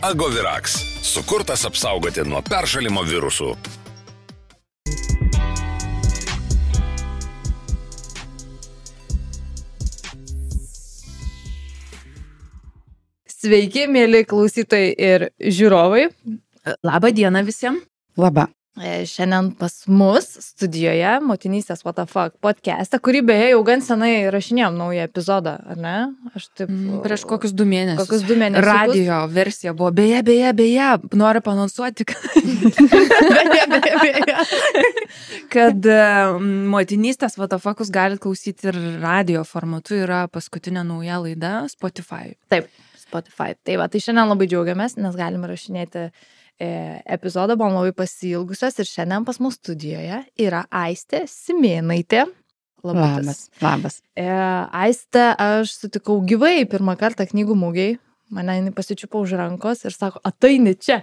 Agovirax. Sukurtas apsaugoti nuo peršalimo virusų. Sveiki, mėly klausytojai ir žiūrovai. Labą dieną visiems. Labą. Šiandien pas mus studijoje Motinystės What the Fuck podcast'ą, kurį beje jau gan senai rašinėjom naują epizodą, ar ne? Aš taip... Prieš kokius 2 mėnesius. Kokius 2 mėnesius. Radio versija buvo. Beje, noriu panonsuoti, kad Motinystės What the Fuck'us galite klausyti ir radio formatu, yra paskutinė nauja laida Spotify. Taip, Spotify. Tai va, tai šiandien labai džiaugiamės, nes galime rašinėti epizodą, buvom labai pasiilgusios ir šiandien pas mus studijoje yra Aistė Simėnaitė. Labas. Aistę aš sutikau gyvai pirmą kartą knygų mugėj. Mane jinai pasičiupo už rankos ir sako, ateini čia.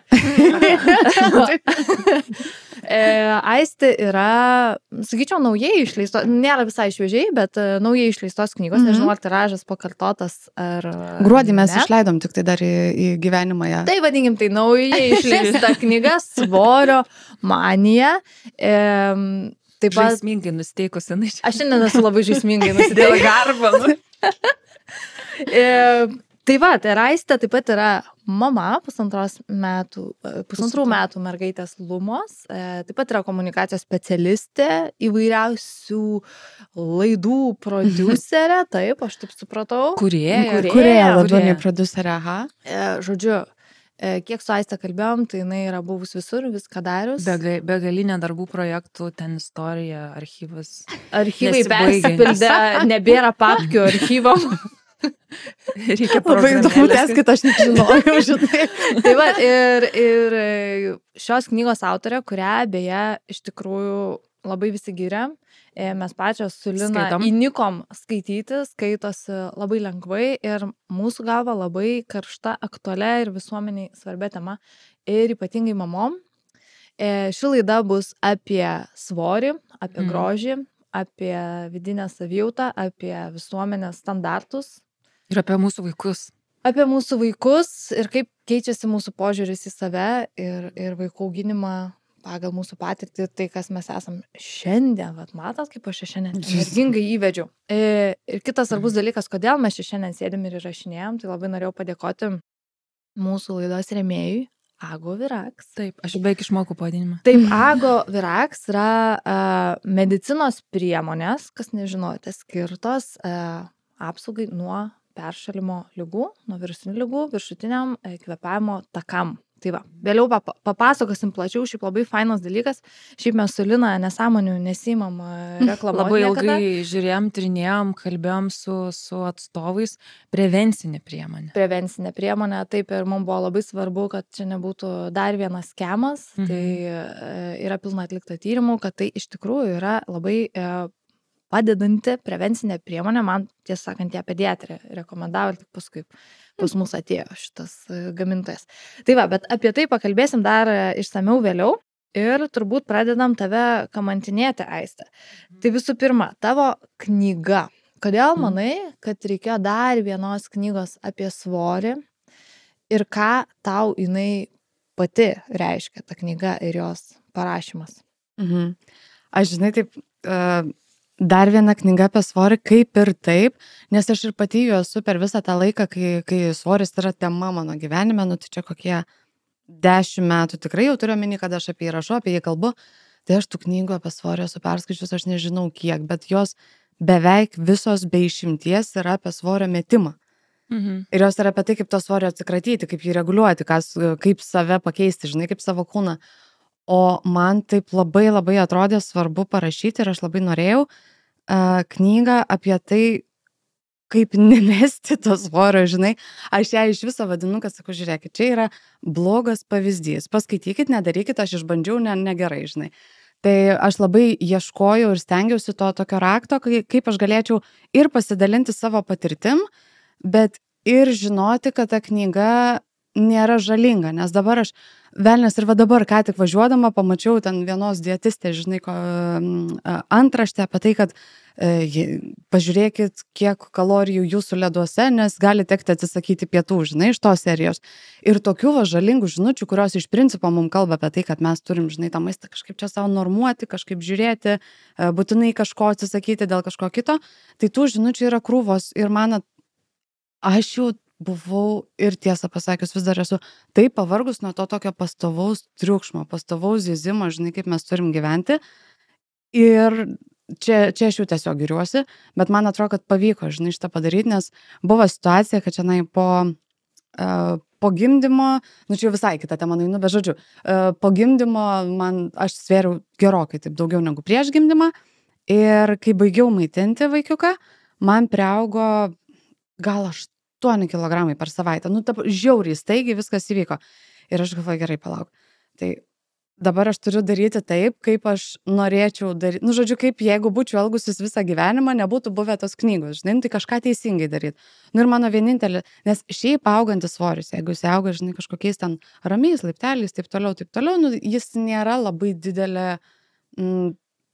Aistė yra, sakyčiau, naujai išleistos, nėra visai šviežiai, bet naujai išleistos knygos, nežinau, ar tiražas pakartotas ar... Gruodį mes išleidom tik tai dar į gyvenimą ją. Tai vadinkim, tai naujai išleista knyga Svorio manija. Taip pat... Žaismingai nusteikusi. Aš šiandien esu labai žaismingai nusiteikusi. Garbą. Tai va, tai Aistė taip pat yra mama, pusantrų metų mergaitės Lumos, taip pat yra komunikacijos specialistė, įvairiausių laidų prodiuserė, taip, aš taip supratau. Kūrėja, labiau nei prodiuserė, aha. Žodžiu, kiek su Aiste kalbėjom, tai jinai yra buvus visur, viską darius. Begalinė darbų projektų, ten istorija, archyvas. Archyvai persipildė, nebėra papkių archyvom. Reikia labai įdomu tęskit, aš nežinojau, žinai. Tai va, ir šios knygos autorė, kurią beje iš tikrųjų labai visi giria, mes pačios su Lina įnikom skaityti, skaitosi labai lengvai ir mūsų galva labai karšta, aktualia ir visuomeniai svarbia tema ir ypatingai mamom. Ši laida bus apie svorį, apie grožį, apie vidinę savijautą, apie visuomenės standartus. Ir apie mūsų vaikus. Apie mūsų vaikus ir kaip keičiasi mūsų požiūris į save ir vaikų auginimą pagal mūsų patirtį, tai kas mes esam šiandien. Vat matot, kaip aš šiandien energingai įvedžiau. Ir kitas svarbus dalykas, kodėl mes šiandien sėdėm ir įrašinėjom, tai labai norėjau padėkoti mūsų laidos rėmėjui Agovirax. Taip, aš beveik išmokau pavadinimą. Taip, Agovirax yra medicinos priemonės, kas nežinote, skirtos apsaugai nuo peršalimo ligų, nuo virusinių ligų, viršutiniam kvėpavimo takam. Tai va, vėliau papasakosim plačiau, šiaip labai fainas dalykas. Šiaip mes su Lina nesąmonių nesimam reklamuoti. Labai ilgai žiūrėjom, trinėjom, kalbėjom su atstovais. Prevencinė priemonė. Prevencinė priemonė, taip, ir mums buvo labai svarbu, kad čia nebūtų dar vienas skemas. Tai yra pilna atlikta tyrimų, kad tai iš tikrųjų yra labai padedanti prevencinė priemonė. Man, tiesą sakant, ją pediatrė rekomendavo ir tik paskui pas mus atėjo šitas gamintojas. Tai va, bet apie tai pakalbėsim dar išsamiau vėliau ir turbūt pradedam tave kamantinėti, Aiste. Tai visų pirma, tavo knyga. Kodėl manai, kad reikėjo dar vienos knygos apie svorį ir ką tau jinai pati reiškia, ta knyga ir jos parašymas? Aš žinai, taip... Dar viena knyga apie svorį, kaip ir taip, nes aš ir pati jau esu per visą tą laiką, kai svoris yra tema mano gyvenime, nu tai čia kokie 10 metų tikrai jau turiu omeny, kad aš apie jį rašau, apie jį kalbu, tai aš tų knygų apie svorį esu perskaičius, aš nežinau kiek, bet jos beveik visos be išimties yra apie svorio metimą. Ir jos yra apie tai, kaip to svorio atsikratyti, kaip jį reguliuoti, kaip save pakeisti, žinai, kaip savo kūną. O man taip labai atrodė svarbu parašyti ir aš labai norėjau knygą apie tai, kaip nemesti to svorio, žinai. Aš ją iš viso vadinu, kad sakau, žiūrėkit, čia yra blogas pavyzdys. Paskaitykit, nedarykit, aš išbandžiau, negerai, žinai. Tai aš labai ieškojau ir stengiausi to tokio rakto, kaip aš galėčiau ir pasidalinti savo patirtim, bet ir žinoti, kad ta knyga nėra žalinga, nes dabar aš velnias ir va dabar, ką tik važiuodama, pamačiau ten vienos dietistės, žinai, antraštę apie tai, kad pažiūrėkit, kiek kalorijų jūsų leduose, nes gali tekti atsisakyti pietų, žinai, iš tos serijos. Ir tokių žalingų žinučių, kurios iš principo mums kalba apie tai, kad mes turim, žinai, tą maistą kažkaip čia savo normuoti, kažkaip žiūrėti, būtinai kažko atsisakyti dėl kažko kito, tai tų žinučių yra krūvos ir aš jau buvau ir tiesą pasakius vis dar esu taip pavargus nuo to tokio pastovaus triukšmo, pastovaus zyzimo, žinai, kaip mes turim gyventi. Ir čia aš jau tiesiog giriuosi, bet man atrodo, kad pavyko, žinai, šitą padaryti, nes buvo situacija, kad čia po gimdymo, čia jau visai kita tema, bet žodžiu, po gimdymo aš svėriau gerokai taip daugiau negu prieš gimdymą ir kai baigiau maitinti vaikiuką, man priaugo gal 8 kilogramai per savaitę. Žiauriai staigiai viskas įvyko. Ir aš galvoju, gerai, palauk. Tai dabar aš turiu daryti taip, kaip aš norėčiau daryti. Žodžiu, kaip jeigu būčiau elgusis visą gyvenimą, nebūtų buvę tos knygos. Žinai, tai kažką teisingai daryti. Ir mano vienintelė, nes šiaip augantis svoris, jeigu jis auga, žinai, kažkokiais ten ramiais laipteliais, taip toliau, jis nėra labai didelė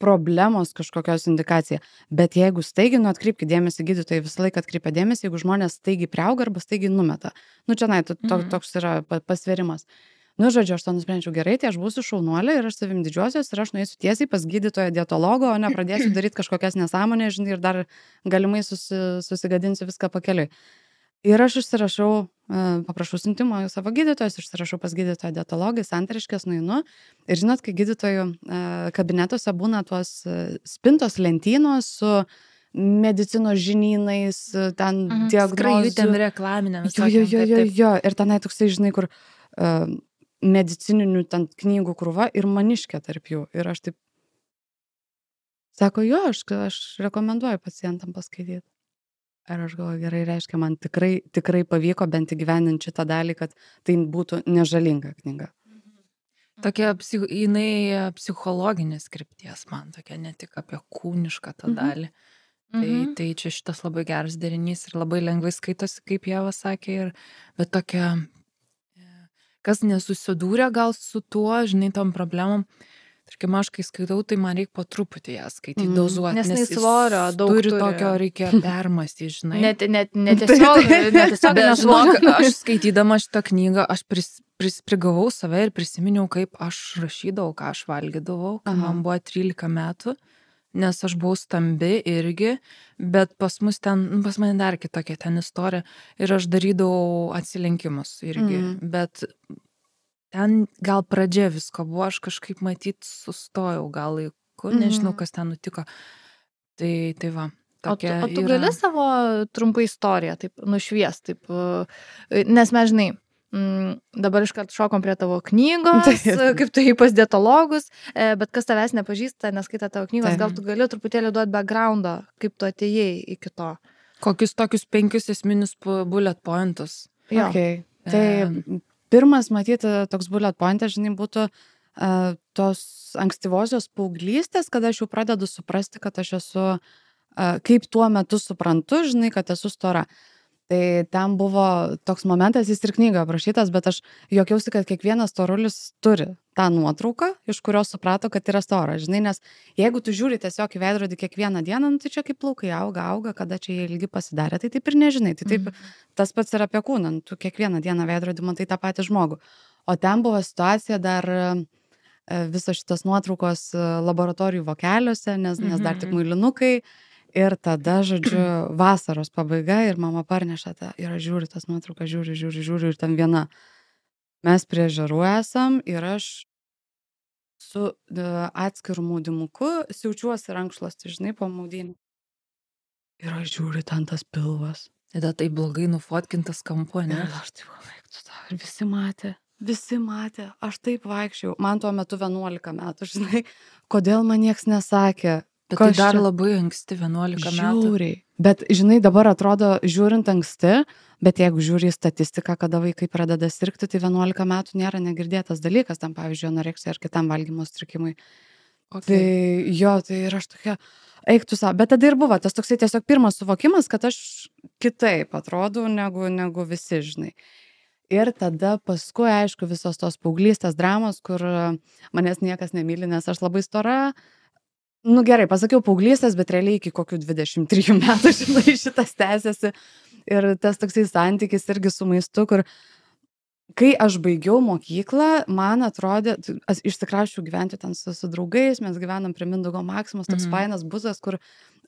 problemos kažkokios indikacija. Bet jeigu staigiai, atkreipkite dėmesį, gydytojai visą laiką atkreipia dėmesį, jeigu žmonės staigiai priauga arba staigiai numeta. Čia toks yra pasverimas. Žodžiu, aš to nusprendžiau gerai, tai aš būsiu šaunuolė ir aš savim didžiuosios ir aš nueisiu tiesiai pas gydytoją dietologą, o ne pradėsiu daryti kažkokias nesąmonės, žinai, ir dar galimai susigadinsiu viską pakeliui. Ir aš užsirašau, paprašau siuntimo savo gydytojus, užsirašau pas gydytoją dietologą, Santariškės nueinu. Ir žinot, kai gydytojų kabinetuose būna tuos spintos lentynos su medicinos žinynais, ten diagnozių. Skrajutėm reklaminėm. Jo. Ir tenai toksai, žinai, kur medicininių ten knygų krūva ir maniškė tarp jų. Ir aš taip, sako, jo, aš rekomenduoju pacientam paskaityti. Ir aš galvoju, gerai, reiškia, man tikrai pavyko bent įgyvendinti šitą dalį, kad tai būtų nežalinga knyga. Tokia jinai psichologinės krypties man, tokia ne tik apie kūnišką tą dalį. Tai čia šitas labai geras derinys ir labai lengvai skaitosi, kaip Ieva sakė, bet tokia, kas nesusidūrė gal su tuo, žinai, tom problemom. Tarkim, aš kai skaitau, tai man reikia po truputį ją skaityti, dozuoti. Nes svorio daug turi. Tokio reikia permastyti, žinai. Netiesiog žinok, aš skaitydama šitą knygą, aš prigavau save ir prisiminiau, kaip aš rašydavau, ką aš valgydavau, kai man buvo 13 metų, nes aš buvau stambi irgi, bet pas mane dar kitokia ten istorija ir aš darydavau atsilenkimus irgi, bet ten gal pradžia visko buvo, aš kažkaip matyt sustojau gal laiku, nežinau, kas ten nutiko. Tai va. O tu gali savo trumpą istoriją taip nušviest, taip, nes mes, žinai, dabar iškart šokom prie tavo knygos, kaip tu jį pas dietologus, bet kas tavęs nepažįsta, neskaita tavo knygos, gal tu gali truputėlį duoti backgroundą, kaip tu atėjai iki to. Kokius tokius 5 esminius bullet pointus. Jo. Tai pirmas, matyti, toks bullet pointas, žinai, būtų tos ankstyvosios paauglystės, kada aš jau pradedu suprasti, kad aš esu, kaip tuo metu suprantu, žinai, kad esu stora. Tai ten buvo toks momentas, jis ir knygoje aprašytas, bet aš juokiausi, kad kiekvienas storulis turi tą nuotrauką, iš kurios suprato, kad yra stora, žinai, nes jeigu tu žiūri tiesiog į veidrodį kiekvieną dieną, tai čia kaip plaukai auga, kada čia jie ilgi pasidarė, tai taip ir nežinai, tai taip tas pats yra apie kūną, tu kiekvieną dieną veidrodį matai tą patį žmogų. O ten buvo situacija dar visos šitas nuotraukos laboratorijų vokeliuose, nes dar tik muilinukai. Ir tada, žodžiu, vasaros pabaiga ir mama parneša tą, ir aš žiūriu tas nuotraukas, žiūriu ir ten viena. Mes prie žarų esam ir aš su atskiru maudimuku siaučiuosi rankšluostį, žinai, po maudynį. Ir aš žiūriu ten tas pilvas. Tada tai blogai nufotkintas kampu, ne? Ir aš taip vaiktų tą. Ir visi matė. Aš taip vaikščiau. Man tuo metu 11 metų, žinai, kodėl man nieks nesakė. Bet tai dar labai anksti, 11 metų. Žiauriai. Bet, žinai, dabar atrodo, žiūrint anksti, bet jeigu žiūri į statistiką, kada vaikai pradeda sirgti, tai 11 metų nėra negirdėtas dalykas, tam pavyzdžiui, anoreksija ar kitam valgymo sutrikimui. Okay. Tai jo, tai ir aš tokia, eik tu savo. Bet tada ir buvo tas toksai tiesiog pirmas suvokimas, kad aš kitaip atrodau negu visi, žinai. Ir tada paskui, aišku, visos tos paauglystės dramos, kur manęs niekas nemyli, nes aš labai stora, Nu gerai, pasakiau paauglystės, bet realiai iki kokių 23 metų, žinai, šitas tęsiasi. Ir tas toksai santykis irgi su maistu, kur kai aš baigiau mokyklą, man atrodė, aš išsikrausčiau gyventi ten su draugais, mes gyvenam prie Mindaugo Maksimos, toks fainas būsas, kur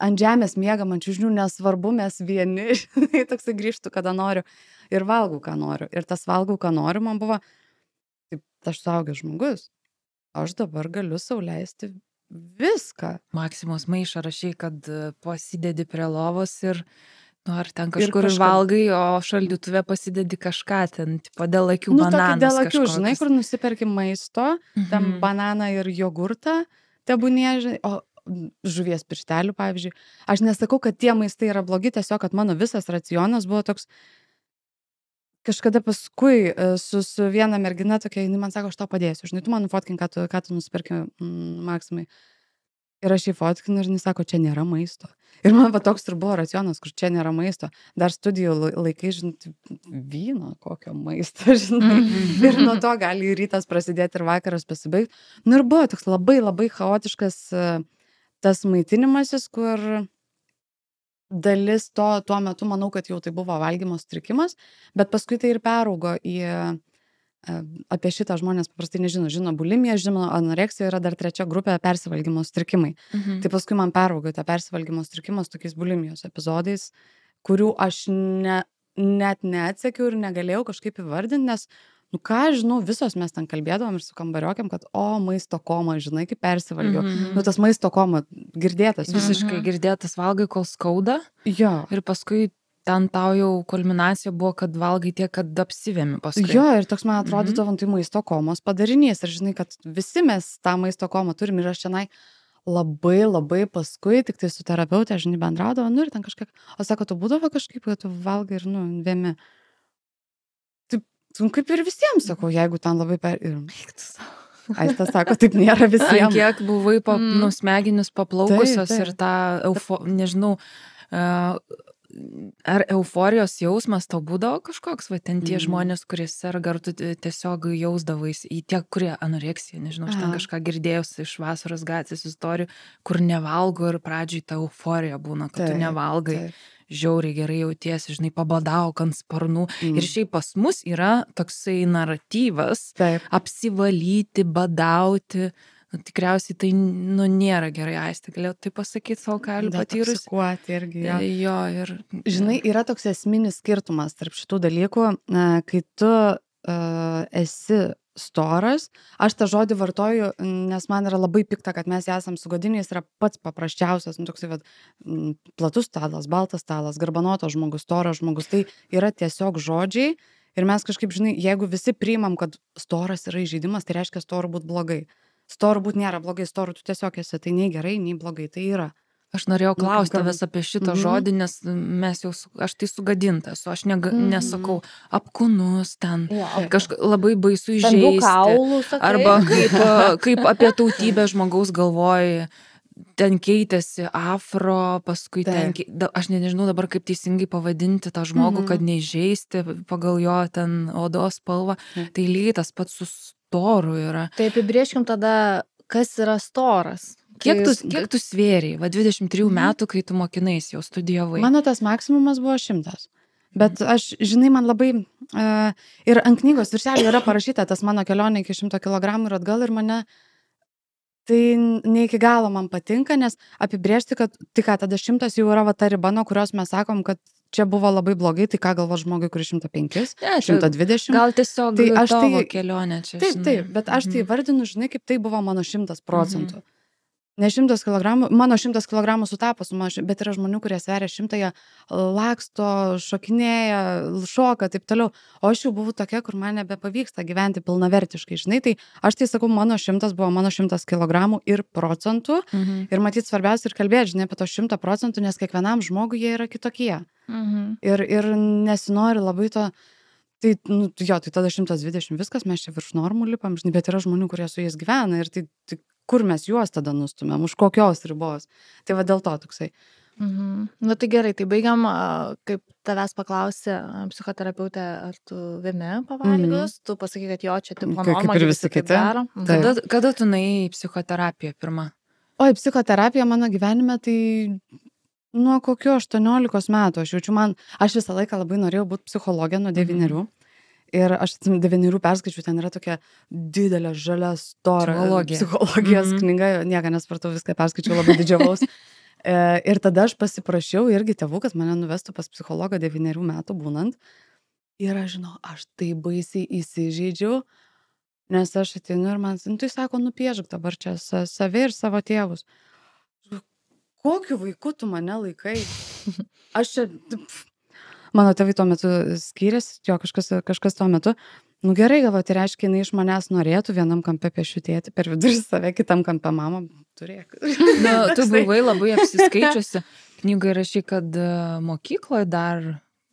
ant žemės miegam, ant čiužinių, nesvarbu, mes vieni, žinai, toksai grįžtu, kada noriu ir valgau, ką noriu. Ir tas valgau, ką noriu, man buvo, taip, aš suaugęs žmogus, aš dabar galiu sau leisti viską. Maksimos maišą rašai, kad pasidedi prie lovos ir ar ten kažkur valgai, o šaldytuve pasidedi kažką ten, tipo dėl akių bananas. Dėl akių, žinai, kur nusiperki maisto, tam bananą ir jogurtą, tebūnie, žinai, o žuvies pirštelių, pavyzdžiui. Aš nesakau, kad tie maistai yra blogi, tiesiog, kad mano visas racionas buvo toks. Kažkada paskui su viena mergina tokia, jinai man sako, aš tau padėsiu, žinai, tu man nufotkink, ką tu nusipirki Maksimai. Ir aš jį fotkinu ir jis sako, čia nėra maisto. Ir man va toks ir buvo racionas, kur čia nėra maisto. Dar studijų laikai, žinai, vyno kokio maisto, žinai. Ir nuo to gali rytas prasidėti ir vakaras pasibaigti. Nu ir buvo toks labai, labai chaotiškas tas maitinimasis, kur dalis tuo metu, manau, kad jau tai buvo valgymo sutrikimas, bet paskui tai ir peraugo į apie šitą žmonės paprastai nežino. Žino bulimiją, žino anoreksiją, yra dar trečia grupė persivalgymo sutrikimai. Tai paskui man peraugo tą persivalgymo sutrikimą su tokiais bulimijos epizodais, kurių aš net neatsekiau ir negalėjau kažkaip įvardinti, nes, nu ką, žinau, visos mes ten kalbėdavom ir su kambariokėm, kad maisto koma, žinai, kaip persivalgiau. Nu tas maisto koma girdėtas. Visiškai girdėtas, valgai, kol skauda. Jo. Ir paskui ten tau jau kulminacija buvo, kad valgai tiek, kad apsivėmi paskui. Jo, ir toks man atrodytų, tai maisto komos padarinys. Ir žinai, kad visi mes tą maisto komą turim ir aš šiandien labai, labai paskui, tik tai su terapeutė, žinai, bendraudavo, nu ir ten kažkiek, o sako, tu būdavo kažkaip, kad tu valgai ir, nu, vėmi. Taip, kaip ir visiems, sakau, jeigu ten labai Aistas sako, taip nėra visiems. Kiek buvai smegenis paplaukusios ir tą, nežinau, ar euforijos jausmas tau būdavo kažkoks, va ten tie žmonės, kurie serga, ar tu tiesiog jausdavais į tiek, kurie anoreksija, nežinau, aš ten kažką girdėjus iš Vasaros gatvės istorijų, kur nevalgo ir pradžiai ta euforija būna, kad tu nevalgai, žiauriai gerai jautiesi, žinai, pabadauk ant sparnų. Ir šiaip pas mus yra toksai naratyvas, apsivalyti, badauti. Nu, tikriausiai tai, nu, nėra gerai, Aistė, galėjau tai pasakyti savo kelių patyrus. Irgi, jo, ir... Žinai, yra toks esminis skirtumas tarp šitų dalykų, kai tu esi storas, aš tą žodį vartoju, nes man yra labai pikta, kad mes esam sugadiniai, jis yra pats paprasčiausias, nu, toksai, platus stalas, baltas stalas, garbanotas žmogus, storas žmogus, tai yra tiesiog žodžiai ir mes kažkaip, žinai, jeigu visi priimam, kad storas yra įžeidimas, tai reiškia storu būt blogai. Storu būt nėra blogai, storu tu tiesiog esi, tai nei gerai, nei blogai, tai yra. Aš norėjau klausti tavęs apie šitą žodį, nes aš tai sugadintas, aš nesakau apkūnus ten, labai baisu įžeisti, arba kaip apie tautybę žmogaus galvoji, ten keitėsi afro, paskui aš nežinau dabar kaip teisingai pavadinti tą žmogų, kad neįžeisti pagal jo ten odos spalvą, tai lygiai tas pats su storu yra. Tai apibrėžkim tada, kas yra storas. Kiek tu svėriai, 23 metų, kai tu mokinais, jau studijavai? Mano tas maksimumas buvo 100. Bet aš, žinai, man labai... ir ant knygos viršelio yra parašyta tas mano kelionė iki 100 kilogramų ir atgal ir mane... Tai ne iki galo man patinka, nes apibrėžti, kad tik tada 100 jau yra ta riba, nuo kurios mes sakom, kad čia buvo labai blogai, tai ką galvo žmogui, kuris 105, 120. Gal tiesiog tai tavo kelionė čia. Taip, bet aš tai vardinu, žinai, kaip tai buvo mano 100%. Ne 100 kilogramų, mano 100 kilogramų sutapo su mano, bet yra žmonių, kurie sveria 100, laksto, šokinėja, šoka, taip toliau. O aš jau buvau tokia, kur man nebepavyksta gyventi pilnavertiškai, žinai, tai aš tai sakau, mano 100 buvo mano 100 kilogramų ir procentų. Ir matyt, svarbiausia ir kalbėti, žinai, apie to 100%, nes kiekvienam žmogui jie yra kitokie. Ir nesinori labai to... Tai, nu, jo, tai tada 120 viskas, mes čia virš normų lipam, žinai, bet yra žmonių, kurie su jais gyvena ir tai kur mes juos tada nustumėm, už kokios ribos. Tai va dėl to toksai. Nu tai gerai, tai baigiam, kaip tavęs paklausė psichoterapeutė, ar tu vėmi pavalgius, tu pasakai, kad jo, čia tipo norma, kaip ir visi kiti. Kada tu nuėjai į psichoterapiją pirmą? Oi, psichoterapija mano gyvenime tai nuo kokio 18 metų. Aš jaučiu, aš visą laiką labai norėjau būti psichologė nuo 9. Ir aš 9 perskaičiu, ten yra tokia didelė, žalia, stora psichologijos knyga, nieko nesupratau, viską perskaičiau, labai didžiavaus. Ir tada aš pasiprašiau irgi tėvų, kad mane nuvestų pas psichologą 9 metų būnant. Ir aš žinau, aš tai baisiai įsižeidžiau, nes aš ateinu ir man, tai sako, nupiešk dabar čia save ir savo tėvus. Kokiu vaiku tu mane laikai? Aš čia... Mano tėvai tuo metu skyrėsi, jo kažkas tuo metu. Nu gerai, galvo, tai reiškia, jinai iš manęs norėtų vienam kampe piešiu tėtį, per vidurį save, kitam kampe mamą turėk. Tu buvai labai apsiskaičiusi. Knygai rašy, kad mokykloje dar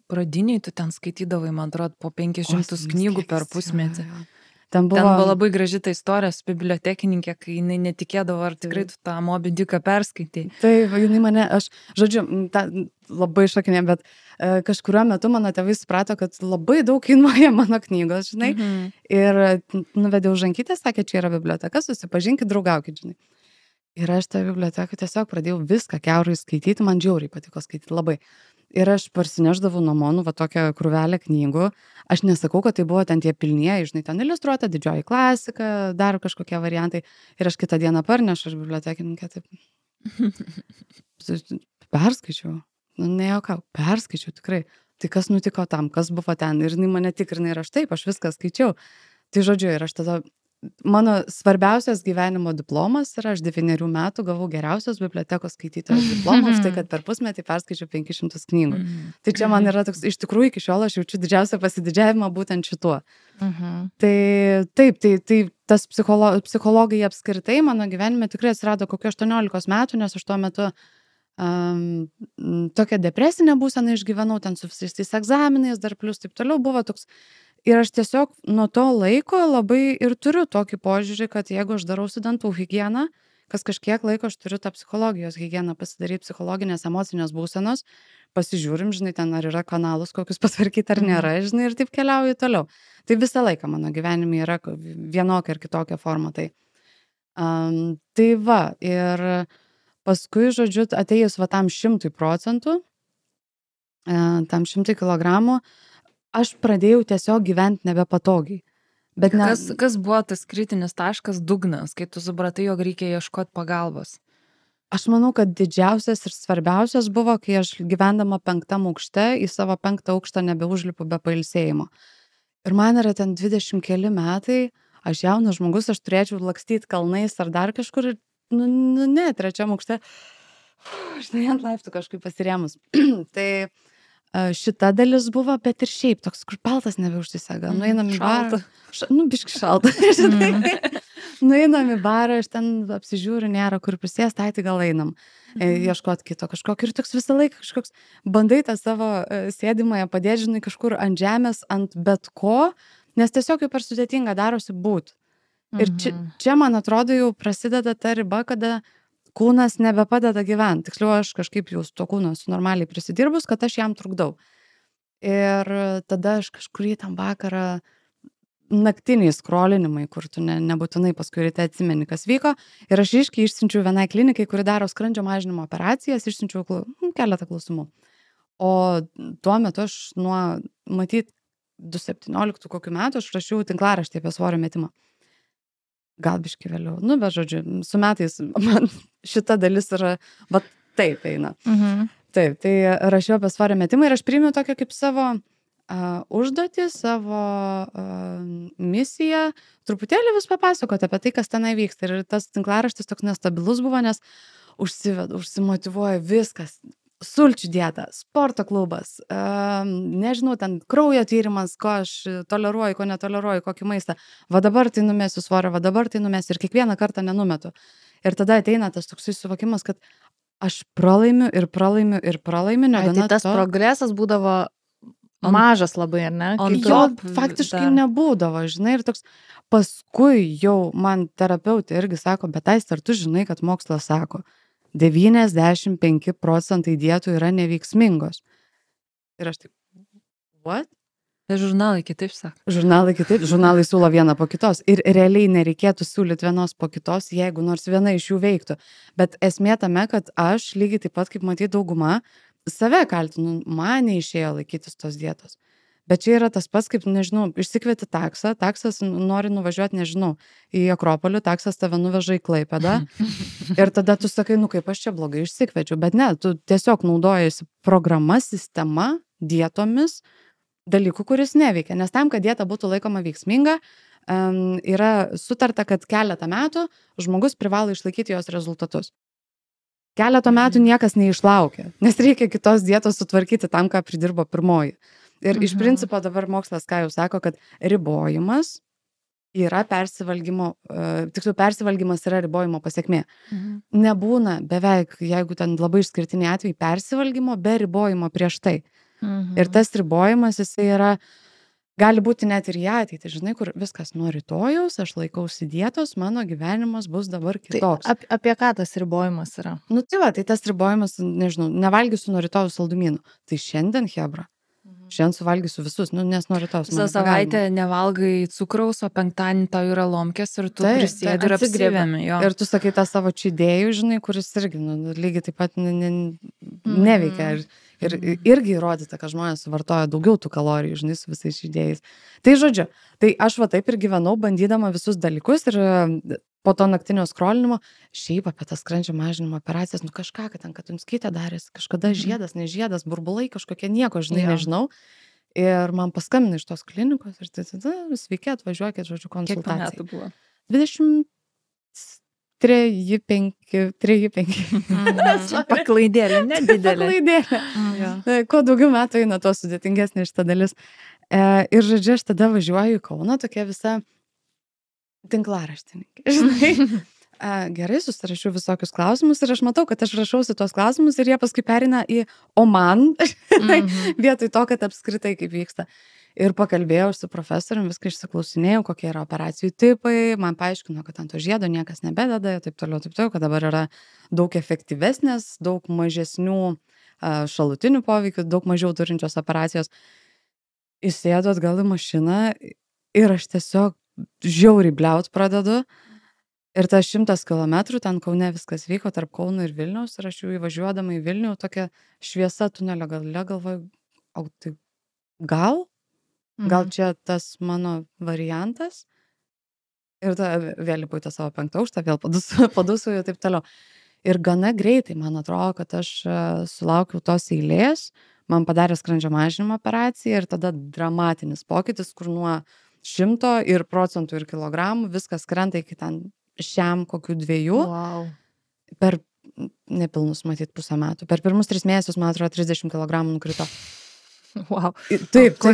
pradiniai tu ten skaitydavai, man atrodo, po 500 knygų per pusmetį. Ten buvo labai graži ta istorija su bibliotekininkė, kai jinai netikėdavo, ar tikrai tu tą Moby Dicką perskaitai. Taip, jinai mane, žodžiu, labai šokinė, bet kažkuriuo metu mano tėvai suprato, kad labai daug kainuoja mano knygos, žinai. Ir nuvedė už rankytę, sakė, čia yra biblioteka, susipažinkit, draugaukit, žinai. Ir aš tą biblioteką tiesiog pradėjau viską kiaurai skaityti, man žiauriai patiko skaityti labai. Ir aš parsineždavau namo, va tokią krūvelę knygų. Aš nesakau, kad tai buvo ten tie pilnieji, žinai, ten iliustruota didžioji klasika, dar kažkokie variantai. Ir aš kitą dieną parnešu, aš bibliotekininkė taip. Perskaičiau. Nu, nejokau, perskaičiau tikrai. Tai kas nutiko tam, kas buvo ten. Ir jinai mane tikrina ir aš taip, aš viską skaičiau. Tai žodžiu, ir aš tada... Mano svarbiausias gyvenimo diplomas yra, aš 9 metų gavau geriausios bibliotekos skaitytojos diplomą, tai kad per pusmetį perskaičiau 500 knygų. Tai čia man yra toks, iš tikrųjų iki šiol aš jaučiu didžiausią pasididžiavimą būtent šituo. Tai taip, tai tas psichologai apskritai mano gyvenime tikrai atsirado kokio 18 metų, nes aš tuo metu tokią depresinę būseną išgyvenau, ten su visais tais egzaminais, dar plus taip toliau buvo toks. Ir aš tiesiog nuo to laiko labai ir turiu tokį požiūrį, kad jeigu aš darau dantų higieną, kas kažkiek laiko aš turiu tą psichologijos higieną pasidaryti, psichologinės, emocinės būsenos, pasižiūrim, žinai, ten ar yra kanalus kokius patvarkyti ar nėra, žinai, ir taip keliauju toliau. Tai visą laiką mano gyvenime yra vienokia ir kitokia forma. Tai va, ir paskui, žodžiu, atėjus va tam 100%, tam 100 kilogramų, aš pradėjau tiesiog gyventi nebepatogiai. Bet kas buvo tas kritinis taškas, dugnas, kai tu supratai, jog reikia ieškoti pagalbos? Aš manau, kad didžiausias ir svarbiausias buvo, kai aš gyvendama 5. aukšte, į savo 5. aukštą nebeužlipu be pailsėjimo. Ir man yra ten 20 keli metai, aš jaunas žmogus, aš turėčiau lakstyti kalnais ar dar kažkur, ne, 3. aukšte, žinai, ant laiptų kažkaip pasirėmus. Tai šita dalis buvo, bet ir šiaip toks, kur paltas nebeužsisega. Nueinam į barą. Biški šalta. Nueinam į barą, aš ten apsižiūriu, nėra kur prisės, tai gal einam. Ieškot kito kažkokio. Ir toks visą laiką kažkoks bandai tą savo sėdimąją padėti, žinai, kažkur ant žemės, ant bet ko, nes tiesiog jau per sudėtinga darosi būt. Ir čia, man atrodo, jau prasideda ta riba, kada kūnas nebepadeda gyventi. Tiksliau, aš kažkaip jau su to kūnu esu normaliai prisidirbus, kad aš jam trukdau. Ir tada aš kažkurį tam vakarą naktiniai skrolinimai, kur tu nebūtinai paskui ryte atsimeni, kas vyko. Ir aš išsiunčiau vienai klinikai, kuri daro skrandžio mažinimo operacijas, išsiunčiau keletą klausimų. O tuo metu aš matyt, 2017 kokių metų aš rašiau tinklaraštį apie svorio metimą. Gal biškai vėliau. Bet žodžiu, su metais man šita dalis yra, taip eina. Taip, tai rašiau apie svorio metimą ir aš priėmiau tokią kaip savo užduotį, savo misiją, truputėlį vis papasakoti apie tai, kas tenai vyksta. Ir tas tinklaraštis toks nestabilus buvo, nes užsimotyvuoja viskas. Sulčių dieta, sporto klubas, nežinau, ten kraujo tyrimas, ko aš toleruoju, ko netoleruoju, kokį maistą. Va dabar tai numesiu svorio, va dabar tai numesiu ir kiekvieną kartą nenumetu. Ir tada ateina tas toksai suvokimas, kad aš pralaimiu. Tai tas progresas būdavo mažas labai, ar ne? Jo faktiškai nebūdavo, žinai, ir toks paskui jau man terapeutė irgi sako, bet ar tu žinai, kad mokslas sako, 95% dietų yra neveiksmingos. Ir aš taip, what? Žurnalai kitaip sako. Žurnalai kitaip, žurnalai siūlo vieną po kitos ir realiai nereikėtų siūlyti vienos po kitos, jeigu nors viena iš jų veiktų. Bet esmė tame, kad aš lygiai taip pat, kaip matyti dauguma, save kaltinu, man neišėjo laikytis tos dietos. Bet čia yra tas pats, kaip, nežinau, išsikvieti taksą, taksas nori nuvažiuoti, nežinau, į Akropolį, taksas tave nuveža į Klaipėdą ir tada tu sakai, nu kaip aš čia blogai išsikviečiu, bet ne, tu tiesiog naudojasi programa, sistema, dietomis, dalykų, kuris neveikia, nes tam, kad dieta būtų laikoma veiksminga, yra sutarta, kad keletą metų žmogus privalo išlaikyti jos rezultatus. Keletą metų niekas neišlaukia, nes reikia kitos dietos sutvarkyti tam, ką pridirbo pirmoji. Ir iš principo dabar mokslas, ką jau sako, kad ribojimas yra persivalgymo, tiksliau persivalgymas yra ribojimo pasiekmė. Nebūna beveik, jeigu ten labai išskirtiniai atvejai, persivalgymo be ribojimo prieš tai. Ir tas ribojimas, jisai yra, gali būti net ir į ateitį, žinai, kur viskas nuo rytojaus, aš laikausi dietos, mano gyvenimas bus dabar kitoks. Tai apie ką tas ribojimas yra? Nu tai va, tai tas ribojimas, nežinau, nevalgysiu nuo rytojaus saldumynų. Tai šiandien, hebra. Šiandien suvalgysiu visus, nes noriu tos. Visą savaitę nevalgai cukraus, o penktadienį tau yra lomkės ir tu prisėdi ir apsigrėbėmi. Ir tu sakai tą savo čydėjų, žinai, kuris irgi lygiai taip pat neveikia. Ir irgi įrodyta, kad žmonės suvartoja daugiau tų kalorijų, žinai, su visais čydėjais. Tai žodžiu, tai aš va taip ir gyvenau, bandydama visus dalykus ir po to naktinio skrolinimo, šiaip apie tas skrandžio mažinimo operacijas, nu kažką, kad ten Katunskytė darėsi, kažkada žiedas, nežiedas, burbulai kažkokie, nieko, žinai, nežinau. Ir man paskambino iš tos klinikos ir tai tada, sveiki, atvažiuokit, žodžiu, konsultacijai. Kiek metų buvo? 23-5. Paklaidėlė, nedidelė. Paklaidėlė. Kuo daugiau metų eina, tuo sudėtingesnė šita dalis. Ir žodžiu, aš tada važiuoju į Kauną, tokia visa tinklaraštininkė. Žinai, gerai, susirašiau visokius klausimus ir aš matau, kad aš rašausi tuos klausimus ir jie paskui perina į o man, vietoj to, kad apskritai kaip vyksta. Ir pakalbėjau su profesorium, viską išsiklausinėjau, kokie yra operacijų tipai, man paaiškino, kad ant to žiedo niekas nebededa, taip toliau, kad dabar yra daug efektyvesnės, daug mažesnių šalutinių poveikių, daug mažiau turinčios operacijos. Įsėdu atgal į mašiną ir aš tiesiog žiauriai bliaut pradedu. Ir tas 100 kilometrų, ten Kaune viskas vyko tarp Kauno ir Vilniaus ir aš jau įvažiuodama į Vilnių, tokia šviesa tunelio gale galvoju, o tai gal čia tas mano variantas? Ir tada vėl įpūtė savo 5 aukštą, vėl padusų ir taip toliau. Ir gana greitai, man atrodo, kad aš sulaukiau tos eilės, man padarė skrandžio mažinimo operaciją ir tada dramatinis pokytis, kur nuo 100 ir procentų ir kilogramų viskas krenta iki ten šiam kokių 2. Wow. Per nepilnus, matyt, pusę metų. Per pirmus 3 mėnesius, man atrodo, 30 kilogramų nukrito. Wow. Taip. O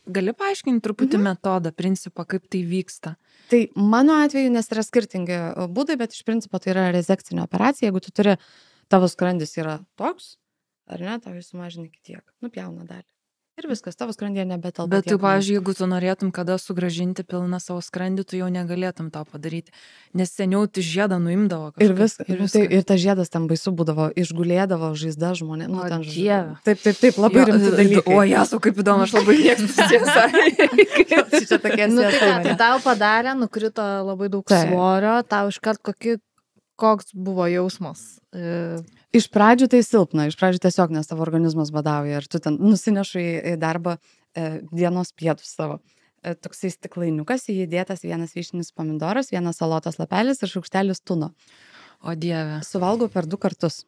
gali paaiškinti truputį metodą, principą, kaip tai vyksta? Tai mano atveju, nes yra skirtingi būdai, bet iš principo tai yra rezekcinė operacija. Jeigu tu turi, tavo skrandis yra toks, ar ne, tau jis sumažina iki tiek, nupjauna dalį. Ir viskas, tavo skrandyje nebetelpa. Bet tu, pavyzdžiui, jeigu tu norėtum kada sugrąžinti pilną savo skrandį, tu jau negalėtum to padaryti. Nes seniau tu žiedą nuimdavo kažką. Ir viskas. Ir tas žiedas ten baisu būdavo, išgulėdavo žaizda žmonė. Nu, ten Dieve. Taip, labai rimti dalykai. O, Jesu, kaip įdomu, aš labai mėgstu tiesą. Čia tokie Tai tau padarė, nukrito labai daug svorio, tau iškart koks buvo jausmas? Iš pradžių tai silpna, iš pradžių tiesiog, nes tavo organizmas badauja ir tu ten nusinešu į darbą dienos pietus savo. Toksai stiklainiukas, į jį dėtas 1 vyšninis pomidoras, 1 salotos lapelis ir šaukštelis tuno. O Dieve. Suvalgau per 2 kartus,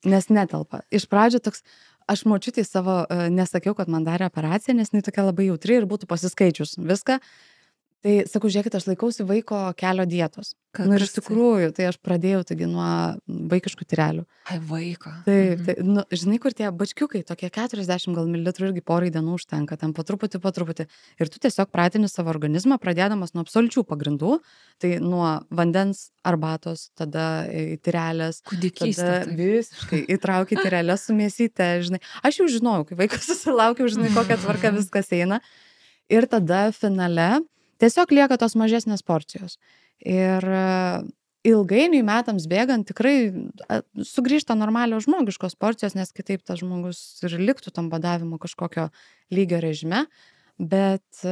nes netelpa. Iš pradžių toks, aš močiutei savo nesakiau, kad man darė operaciją, nes jinai tokia labai jautri ir būtų pasiskaičius viską. Tai sakau, žiūrėkit, aš laikausi vaiko kelio dietos. Nu ir iš tikrųjų, tai aš pradėjau taigi nuo vaikiškų tyrelių. Ai, vaiko. Taip, nu, žinai, kur tie bačkiukai, tokie 40 gal mililitrų irgi porai dienų užtenka, ten po truputį. Ir tu tiesiog pratini savo organizmą, pradėdamas nuo absoliučių pagrindų, tai nuo vandens, arbatos, tada į tyrelės. Kūdikystė. Tada visiškai įtrauki tyrelės su mėsyte, žinai. Aš jau žinojau, kai vaikas susilaukiau, žinai, kokia tvarka viskas eina. Ir tada finale tiesiog lieka tos mažesnės porcijos. Ir ilgainiui metams bėgant tikrai sugrįžta normalios žmogiškos porcijos, nes kitaip tas žmogus ir liktų tam badavimo kažkokio lygio režime. bet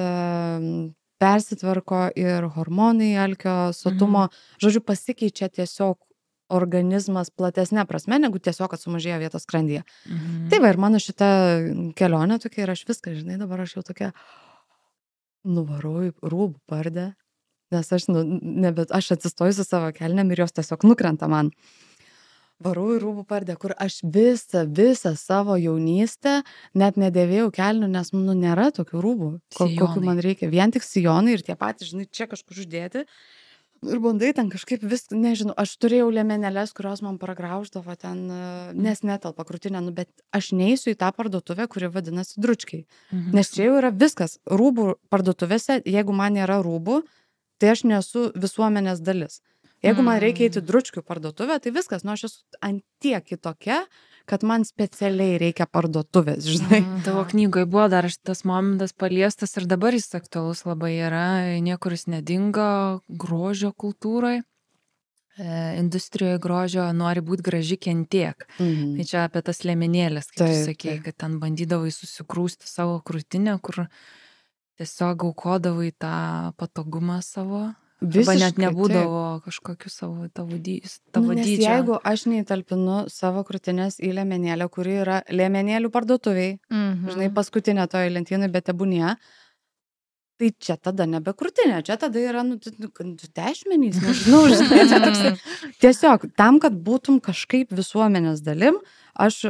persitvarko ir hormonai, alkio, sotumo, žodžiu, pasikeičia tiesiog organizmas platesnė prasme, negu tiesiog, kad sumažėjo vietos skrandyje. Tai va, ir mano šita kelionė tokia, ir aš viską, žinai, dabar aš jau tokia nuvarau į Rūbų Pardę, nes aš, aš atsistoju su savo kelnėm ir jos tiesiog nukrenta man. Varau į Rūbų Pardę, kur aš visą savo jaunystę net nedėvėjau kelnių, nes, nėra tokių rūbų, kokių man reikia. Vien tik sijonai ir tie patys, žinai, čia kažkur uždėti. Ir bandai ten kažkaip nežinau, aš turėjau liemenėles, kurios man pragrauždavo ten, nes netelpa krūtinė, bet aš neįsiu į tą parduotuvę, kuri vadinasi Dručkiai. Nes čia jau yra viskas. Rūbų parduotuvėse, jeigu man nėra rūbų, tai aš nesu visuomenės dalis. Jeigu man reikia eiti Dručkių parduotuvę, tai viskas, aš esu ant tiek kitokia, kad man specialiai reikia parduotuvės, žinai. Tavo knygoje buvo dar šitas momentas paliestas ir dabar jis aktualus labai yra, niekur jis nedingo grožio kultūroje. Industrijoje grožio nori būti graži kentiek. Tai čia apie tas liemenėlės, kaip tu sakei, kad ten bandydavai susikrūsti savo krūtinę, kur tiesiog aukodavai tą patogumą savo. Arba net nebūdavo kažkokiu savo tavo dydžio. Jeigu aš neįtalpinu savo krūtinės į liemenėlę, kuri yra liemenėlių parduotuviai, žinai, paskutinė toje lentynai, bet tebūnie, tai čia tada nebe krūtinė, čia tada yra dešmenys, nežinau, žinai, čia toks. Tiesiog, tam, kad būtum kažkaip visuomenės dalim, aš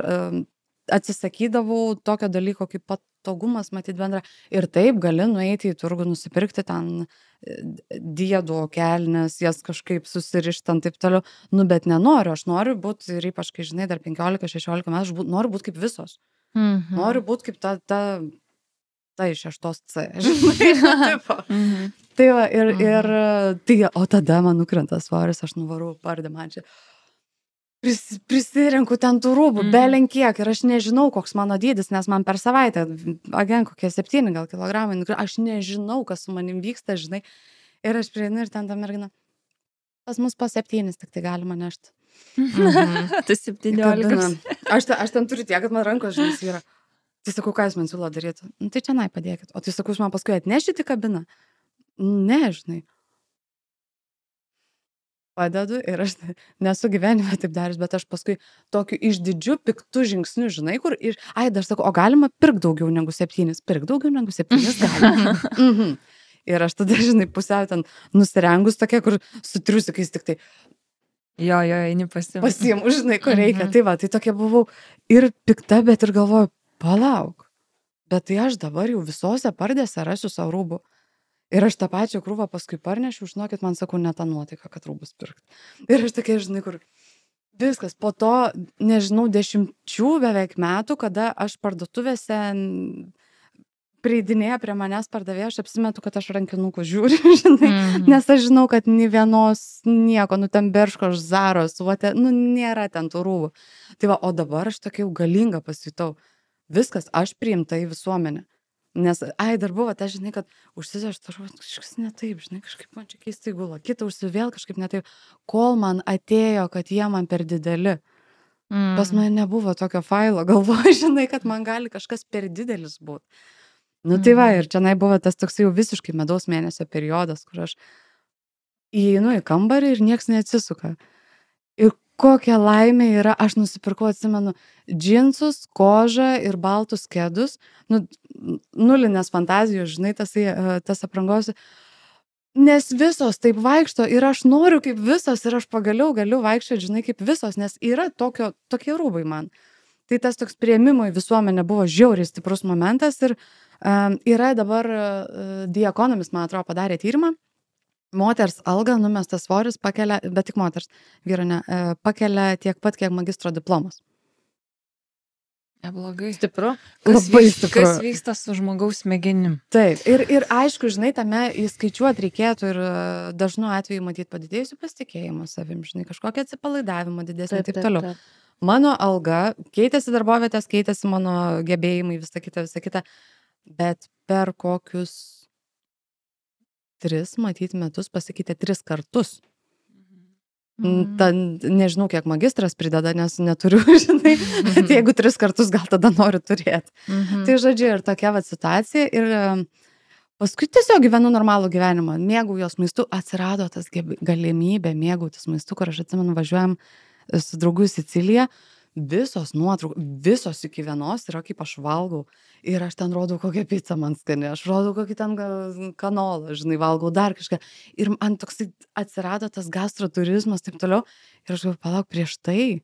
atsisakydavau tokio dalyko kaip patogumas, matyt bendra. Ir taip gali nueiti į turgų, nusipirkti ten diedų kelnes, jas kažkaip susirištant taip toliau. Bet nenoriu, aš noriu būti, ir ypač, kai žinai, dar 15-16 metų, aš noriu būti kaip visos. Noriu būti kaip ta iš 6C, žinai. Tai va, o tada man nukrenta svoris, aš nuvarau Pardę, man čia prisirenku ten tų rūbų, belenkiek, ir aš nežinau, koks mano dydis, nes man per savaitę, kokie 7 gal kilogramai, aš nežinau, kas su manim vyksta, žinai, ir aš prieinu ir ten ta mergina, pas mus po 7 tik tai galima nešti. Tai 17. Aš ten turiu tiek, kad man rankos, žinai, yra. Tai sakau, ką jūs man siūlo daryti? Tai čia padėkit. O tai sakau, jūs man paskui atnešite į kabiną? Ne, žinai. Padedu ir aš nesu gyvenime taip daręs, bet aš paskui tokiu išdidžiu, piktu žingsniu, žinai, kur dar sakau, o galima pirkti daugiau negu 7, pirkti daugiau negu 7 galima. Ir aš tada, žinai, pusiau ten nusirengus tokia, kur su triusikais tik tai. Jo, eini pasiimu, žinai, ko reikia. Tai va, tai tokia buvau ir pikta, bet ir galvoju, palauk, bet tai aš dabar jau visose Pardėse rasiu savo rūbų. Ir aš tą pačią krūvą paskui parnešiu, žinokit, man sakau, ne tą nuotaiką, kad rūbus pirkti. Ir aš tokia, žinai, kur viskas, po to, nežinau, 10 beveik metų, kada aš parduotuvėse prieidinėja prie manęs pardavėja, aš apsimetu, kad aš rankinukų žiūriu, žinai, nes aš žinau, kad nei vienos nieko, ten Berško, Zaros, nėra ten tų rūbų. Tai va, o dabar aš tokia jau galinga pasijutau. Viskas, aš priimta į visuomenę. Nes, dar buvo, tai žinai, kad užsisaš, kažkas ne taip, žinai, kažkaip man čia keistai gula, kita užsivėl kažkaip ne taip, kol man atėjo, kad jie man per dideli. Pas mane nebuvo tokio failo, galvoju, žinai, kad man gali kažkas per didelis būti. Tai va, ir čia buvo tas toks jau visiškai medaus mėnesio periodas, kur aš įeinu į kambarį ir nieks neatsisuka. Ir kokia laimė yra, aš nusipirkau, atsimenu, džinsus, kožą ir baltus kedus, nulinės fantazijos, žinai, tas aprangos, nes visos taip vaikšto ir aš noriu kaip visos ir aš pagaliau galiu vaikščioti, žinai, kaip visos, nes yra tokie rūbai man. Tai tas toks priėmimo į visuomenę buvo žiauriai stiprus momentas ir yra dabar The Economist, man atrodo, padarė tyrimą. Moters alga, numestas svoris pakelia, bet tik moters, vyro ne, pakelia tiek pat, kiek magistro diplomas. Neblogai. Stipru. Labai stipru. Kas vyksta su žmogaus smegenim? Taip, ir aišku, žinai, tame įskaičiuoti reikėtų ir dažnu atveju matyti padidėjusių pasitikėjimą savim, žinai, kažkokią atsipalaidavimą didesnį ir taip toliau. Mano alga, keitėsi darbovietės, keitėsi mano gebėjimai, visa kita, bet per kokius 3 matyt metus pasikeitė 3 kartus. Nežinau, kiek magistras prideda, nes neturiu, žinai, tai jeigu 3 kartus gal tada noriu turėti. Tai žodžiu, ir tokia va situacija. Ir paskui tiesiog gyvenu normalų gyvenimą, mėgaujos maistu, atsirado tas galimybė mėgautis maistu, kur aš atsimenu, važiuojam su draugu į Siciliją, visos nuotraukos, visos iki vienos yra kaip aš valgau. Ir aš ten rodau, kokią pizzą man skani, aš rodau, kokį ten kanolą, žinai, valgau dar kažką. Ir man toksai atsirado tas gastroturizmas, taip toliau. Ir aš galvoju, palauk, prieš tai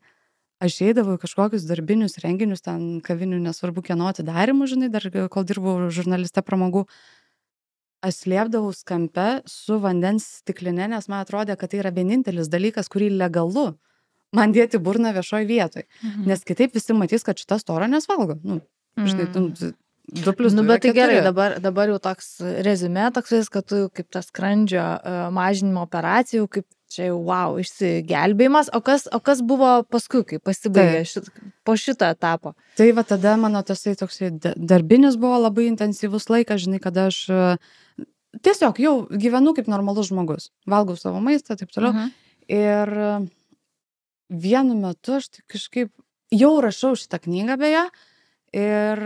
aš eidavau į kažkokius darbinius renginius, ten kavinių, nesvarbu kieno atidarimų, žinai, dar kol dirbau žurnaliste pramogų. Aš slėpdavau kampe su vandens stikline, nes man atrodė, kad tai yra vienintelis dalykas, kurį legalu man dėti burną viešoj vietoj. Nes kitaip visi matys, kad šita stora nesvalgo. Nu, žinai, 2+2 bet tai yra 4. gerai, dabar jau toks rezumė, toks, kad tu kaip tas skrandžio mažinimo operacijų, kaip čia jau, wow, išsigelbėjimas. O kas buvo paskui, kai pasibaigė po šito etapo? Tai va tada mano tasai toksai darbinis buvo labai intensyvus laikas, žinai, kada aš tiesiog jau gyvenu kaip normalus žmogus. Valgau savo maistą, taip toliau. Ir vienu metu aš kažkaip jau rašau šitą knygą beje. Ir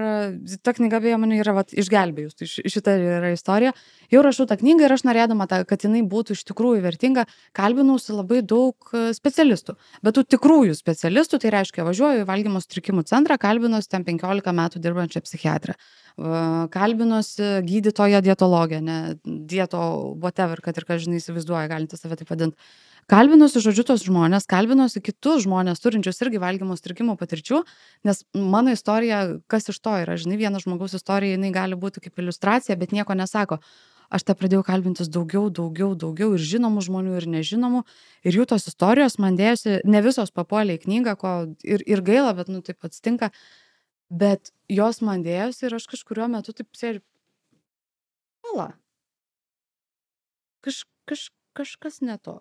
ta knyga beje mane yra išgelbėjus, tai šita yra istorija. Jau rašau tą knygą ir aš norėdama, kad jinai būtų iš tikrųjų vertinga, kalbinausi labai daug specialistų. Bet tų tikrųjų specialistų, tai reiškia, važiuoju į valgymo sutrikimų centrą, kalbinosi ten 15 metų dirbančią psichiatrą. Kalbinosi gydytoją dietologę, ne dieto whatever, kad ir ką žinai įsivaizduoja, galinti save taip vadinti. Kalbinosi, žodžiu, tos žmonės, kalbinosi kitus žmonės, turinčius irgi valgymo sutrikimų patirčių, nes mano istorija, kas iš to yra, žinai, vieno žmogaus istorija, jinai gali būti kaip iliustracija, bet nieko nesako. Aš tą pradėjau kalbintis daugiau ir žinomų žmonių, ir nežinomų, ir jų tos istorijos man dėjosi, ne visos papuolė į knygą, ko ir gaila, bet, nu, taip atsitinka, bet jos man dėjosi ir aš kažkuriuo metu taip sėdžiu, pala, kažkas ne to.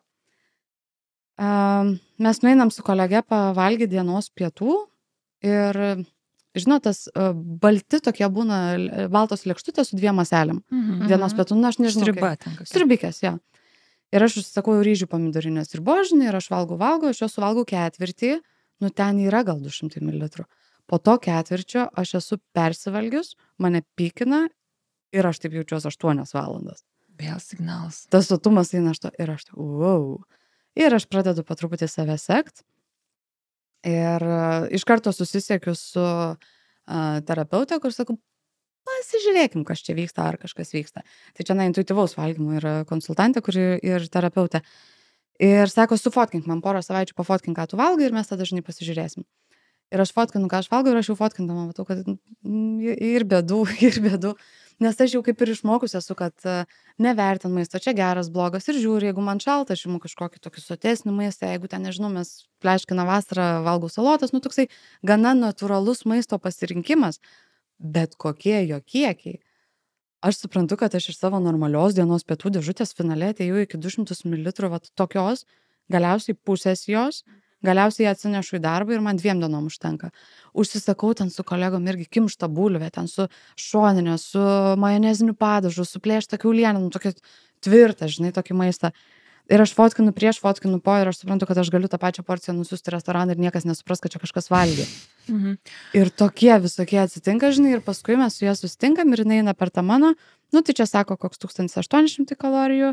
Mes nueinam su kolege pavalgyti dienos pietų ir, žinot, tas balti tokie būna baltos lėkštutės su 2 ąselėm. Dienos pietų, na, aš nežinau. Stribikės, jo. Ir aš užsisakau ryžių pomidorinės ir božinį ir aš valgau, aš jos suvalgau 1/4, nu ten yra gal 200 ml. Po to 1/4 aš esu persivalgius, mane pykina ir aš taip jaučiuosi 8 valandas. Vėl signalas. Tas sotumas eina aš to ir aš taip, wow. Ir aš pradedu po truputį save sekt. Ir iš karto susisiekiu su terapeutė, kur sakau, pasižiūrėkim, kas čia vyksta, ar kažkas vyksta. Tai čia intuityvaus valgymo yra konsultantė, kuri ir terapeutė. Ir sako, sufotkink man porą savaičių, pafotkink, ką tu valgai ir mes tada dažnai pasižiūrėsim. Ir aš fotkinu, ką aš valgau ir aš jau fotkindama matau, kad ir bėdų. Nes aš jau kaip ir išmokus esu, kad nevertin maisto, čia geras, blogas ir žiūri, jeigu man šalta, aš imu kažkokį tokį sotesnį maistą, jeigu ten, nežinau, mes pleškina vasarą, valgau salotas, nu toksai gana natūralus maisto pasirinkimas, bet kokie jo kiekiai. Aš suprantu, kad aš iš savo normalios dienos pietų dėžutės finale atėjau iki 200 ml vat tokios, galiausiai pusės jos, galiausiai atsinešu į darbą ir man 2 dienom užtenka. Užsisakau ten su kolegom irgi kimštą bulvę, ten su šoninė, su majoneziniu padažu, su plėšta kiaulienė, nu tokia tvirta, žinai, tokį maistą. Ir aš fotkinu prieš, fotkinu po ir aš suprantu, kad aš galiu tą pačią porciją nusiųsti restoraną ir niekas nesupras, kad čia kažkas valgė. Ir tokie visokie atsitinka, žinai, ir paskui mes su ja susitinkam ir jinai eina per tą mano, nu tai čia sako, koks 1800 kalorijų,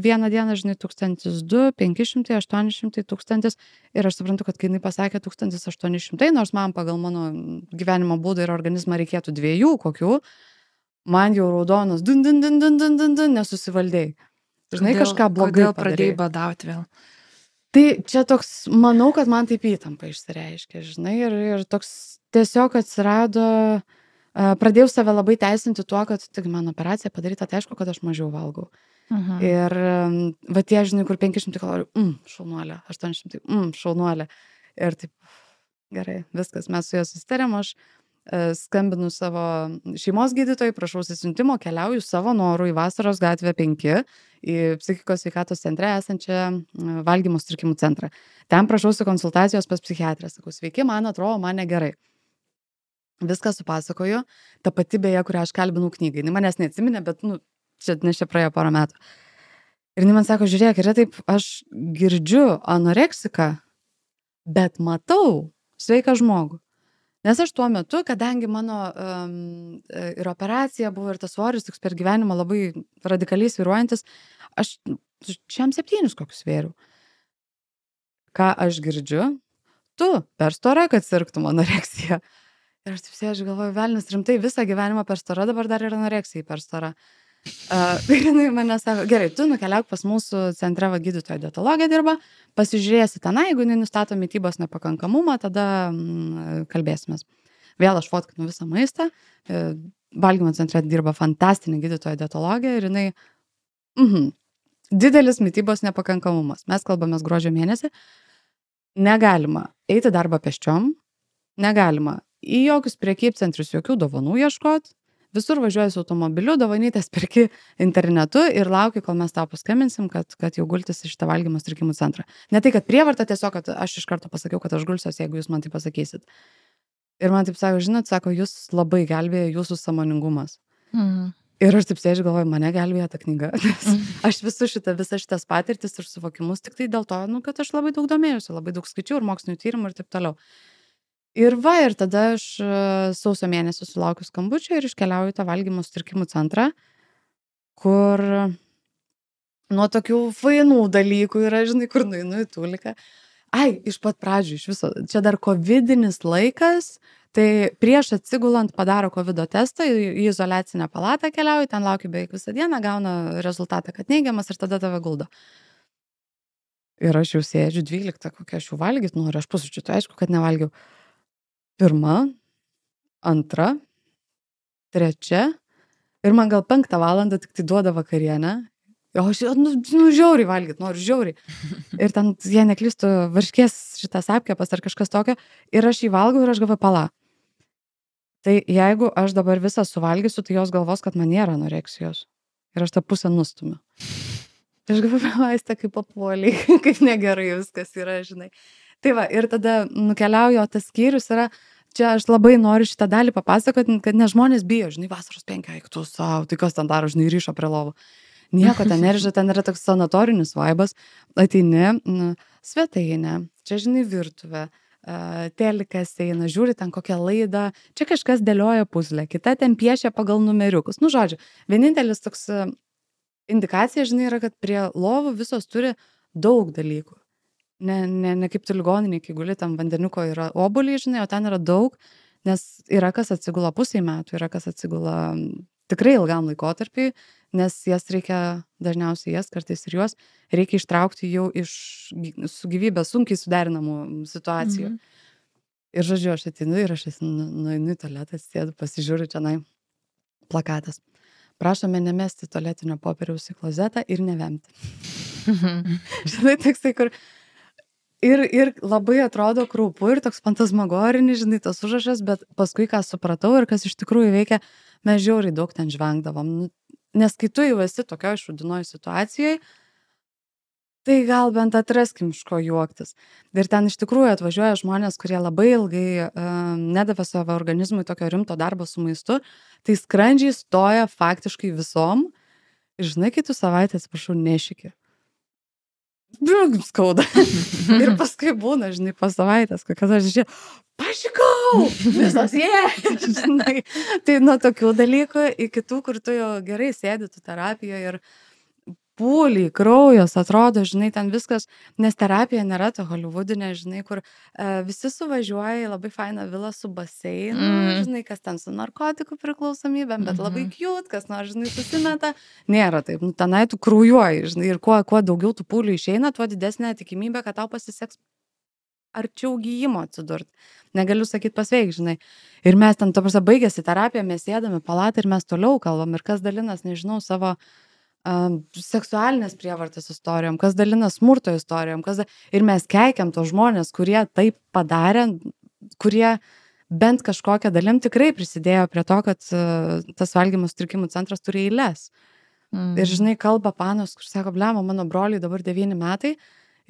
vieną dieną, žinai, 1200, 500, 800, 1000 ir aš suprantu, kad kai jinai pasakė 1800, nors man pagal mano gyvenimo būdą ir organizmą reikėtų 2 kokių, man jau raudonas nesusivaldėjai. Žinai, kažką blogai kodėl pradėjai badauti vėl? Tai čia toks, manau, kad man taip įtampa išsireiškė, žinai, ir toks tiesiog atsirado, pradėjau save labai teisinti tuo, kad tik mano operacija padaryta, tai aišku, kad aš mažiau valgau. Ir va tie, žinai, kur 500 kalorijų, šaunuolė, 800, šaunuolė. Ir taip, gerai, viskas, mes su juo susitarėm, aš skambinu savo šeimos gydytojai, prašau siuntimo, keliauju savo noru į Vasaros gatvę 5, į psichikos sveikatos centre esančią valgymo sutrikimų centrą. Ten prašausi konsultacijos pas psichiatrę. Sakau, sveiki, man atrodo, man negerai. Viską supasakoju, ta pati beje, kurią aš kalbinau knygai. Manęs neatsiminė, bet, nu, čia praėjo porą metų. Ir jinai man sako, žiūrėk, yra taip, aš girdžiu anoreksiką, bet matau sveiką žmogų. Nes aš tuo metu, kadangi mano ir operacija buvo, ir tas svoris toks per gyvenimą labai radikaliai svyruojantis, aš šiam 7 kokius svėriau. Ką aš girdžiu? Tu per stora, kad sirgtum anoreksiją. Ir aš taip sėdžiu, galvoju, velnis, rimtai, visą gyvenimą per stora, dabar dar ir anoreksija per stora. Ir jinai mane sako, gerai, tu nukeliauk pas mūsų centre, gydytoja dietologė dirba, pasižiūrėsi tenai, jeigu nustato mitybos nepakankamumą, tada kalbėsimės. Vėl aš fotkinu visą maistą, valgymo centre dirba fantastinė gydytoja dietologė ir jinai, didelis mitybos nepakankamumas. Mes kalbamės gruodžio mėnesį, negalima eiti darbą pėsčiom, negalima į jokius prekybcentrius jokių dovanų ieškot, visur važiuoji su automobiliu, dovanytės perki internetu ir lauki, kol mes tau paskambinsim, kad jau gultis į šitą valgymo sutrikimų centrą. Ne tai, kad prievarta, tiesiog, kad aš iš karto pasakiau, kad aš gulsiuosi, jeigu jūs man tai pasakysit. Ir man taip sako, žinot, sako, jūs labai gelbėjo jūsų sąmoningumas. Ir aš taip sėdžiu, galvoju, mane gelbėjo ta knyga. Aš visas šitas patirtis ir suvokimus tik tai dėl to, kad aš labai daug domėjusi, labai daug skaičiau ir mokslinių tyrimų ir taip toliau. Ir tada aš sausio mėnesį sulaukiu skambučio ir iškeliauju į tą valgymo sutrikimų centrą, kur nuo tokių fainų dalykų yra, žinai, kur nueinu į Tuliką. Iš pat pradžių, iš viso, čia dar covidinis laikas, tai prieš atsigulant padaro covido testą, į izoliacinę palatą keliauju, ten laukiu beveik visą dieną, gauna rezultatą, kad neigiamas ir tada tave guldo. Ir aš jau sėdžiu 12, kokią aš jau valgyt noriu, aš pusryčių, tai aišku, kad nevalgiau. 1, 2, 3 ir man gal 5 valandą tik tai duoda vakarienę. O aš, žiauriai valgyt, noriu žiauriai. Ir ten, jei neklystu, varškės šitas apkepas ar kažkas tokio, ir aš jį valgau ir aš galvoju, pala. Tai jeigu aš dabar visą suvalgysiu, tai jos galvos, kad man nėra anoreksijos. Ir aš tą pusę nustumiu. Tai aš galvoju, vaistą kaip papuoliai, kaip negerai viskas yra, žinai. Tai va, ir tada nukeliauju, o tas skyrius yra, čia aš labai noriu šitą dalį papasakoti, kad ne žmonės bijo, žinai, vasaros 5, eik tu savo, tai kas ten daro, žinai, ryšo prie lovų. Nieko ten neržia, ten yra toks sanatorinis vaibas, ateini, svetainė, čia, žinai, virtuvė, telikas eina, žiūri ten kokią laidą, čia kažkas dėlioja puzlę, kita ten piešia pagal numeriukus. Žodžiu, vienintelis toks indikacija, žinai, yra, kad prie lovų visos turi daug dalykų. Ne kaip tu ligoninėj, kai guli, tam vandeniuko yra obuoliai, žinai, o ten yra daug, nes yra kas atsigula pusei metų, yra kas atsigula tikrai ilgam laikotarpiui, nes jas reikia, dažniausiai jas, kartais ir juos, reikia ištraukti jau su gyvybė sunkiai suderinamų situacijų. Ir žodžiu, aš ateinu ir aš nueinu į tualetą, sėdu, pasižiūriu čia plakatas. Prašome nemesti tualetinio popieriaus į klozetą ir nevemti. Žinai, toksai, kur ir labai atrodo kraupu ir toks fantasmagorinis, žinai, tas užrašas, bet paskui, ką supratau ir kas iš tikrųjų veikia, mes žiauriai daug ten žvengdavom. Nes kai tu jau esi tokioj šūdinoj situacijoj, tai gal bent atraskim iš ko juoktis. Ir ten iš tikrųjų atvažiuoja žmonės, kurie labai ilgai nedavė savo organizmui tokio rimto darbo su maistu, tai skrandžiai stoja faktiškai visom. Ir žinai, kai tu savaitę, atsiprašau, nešiki. Skauda. Ir paskui būna, žinai, po savaitės, kokias aš žiūrėjau, pašikau, visos žinai. Tai nuo tokių dalykų iki tų, kur tu jau gerai sėdi tu terapijoje ir pūliai, kraujas, atrodo, žinai, ten viskas, nes terapija nėra ta holivudinė, žinai, kur visi suvažiuoja į labai fainą vilą su baseinu, žinai, kas ten su narkotikų priklausomybėm, bet labai cute, kas nors, žinai, susimeta. Nėra taip, tenai tu kraujuoji, žinai, ir kuo daugiau tų pūlių išeina, tuo didesnė tikimybė, kad tau pasiseks arčiau gyjimo atsidurt. Negaliu sakyti pasveik, žinai. Ir mes ten, to prasme, baigėsi terapija, mes sėdame palatą ir mes toliau kalbam, ir kas dalinas, nežinau, savo seksualinės prievartos istorijom, kas dalina smurto istorijom, ir mes keikiam tos žmonės, kurie taip padarė, kurie bent kažkokią dalim tikrai prisidėjo prie to, kad tas valgymo sutrikimų centras turi eiles. Ir žinai, kalba panos, kur sako, blemo, mano broliai dabar 9 metai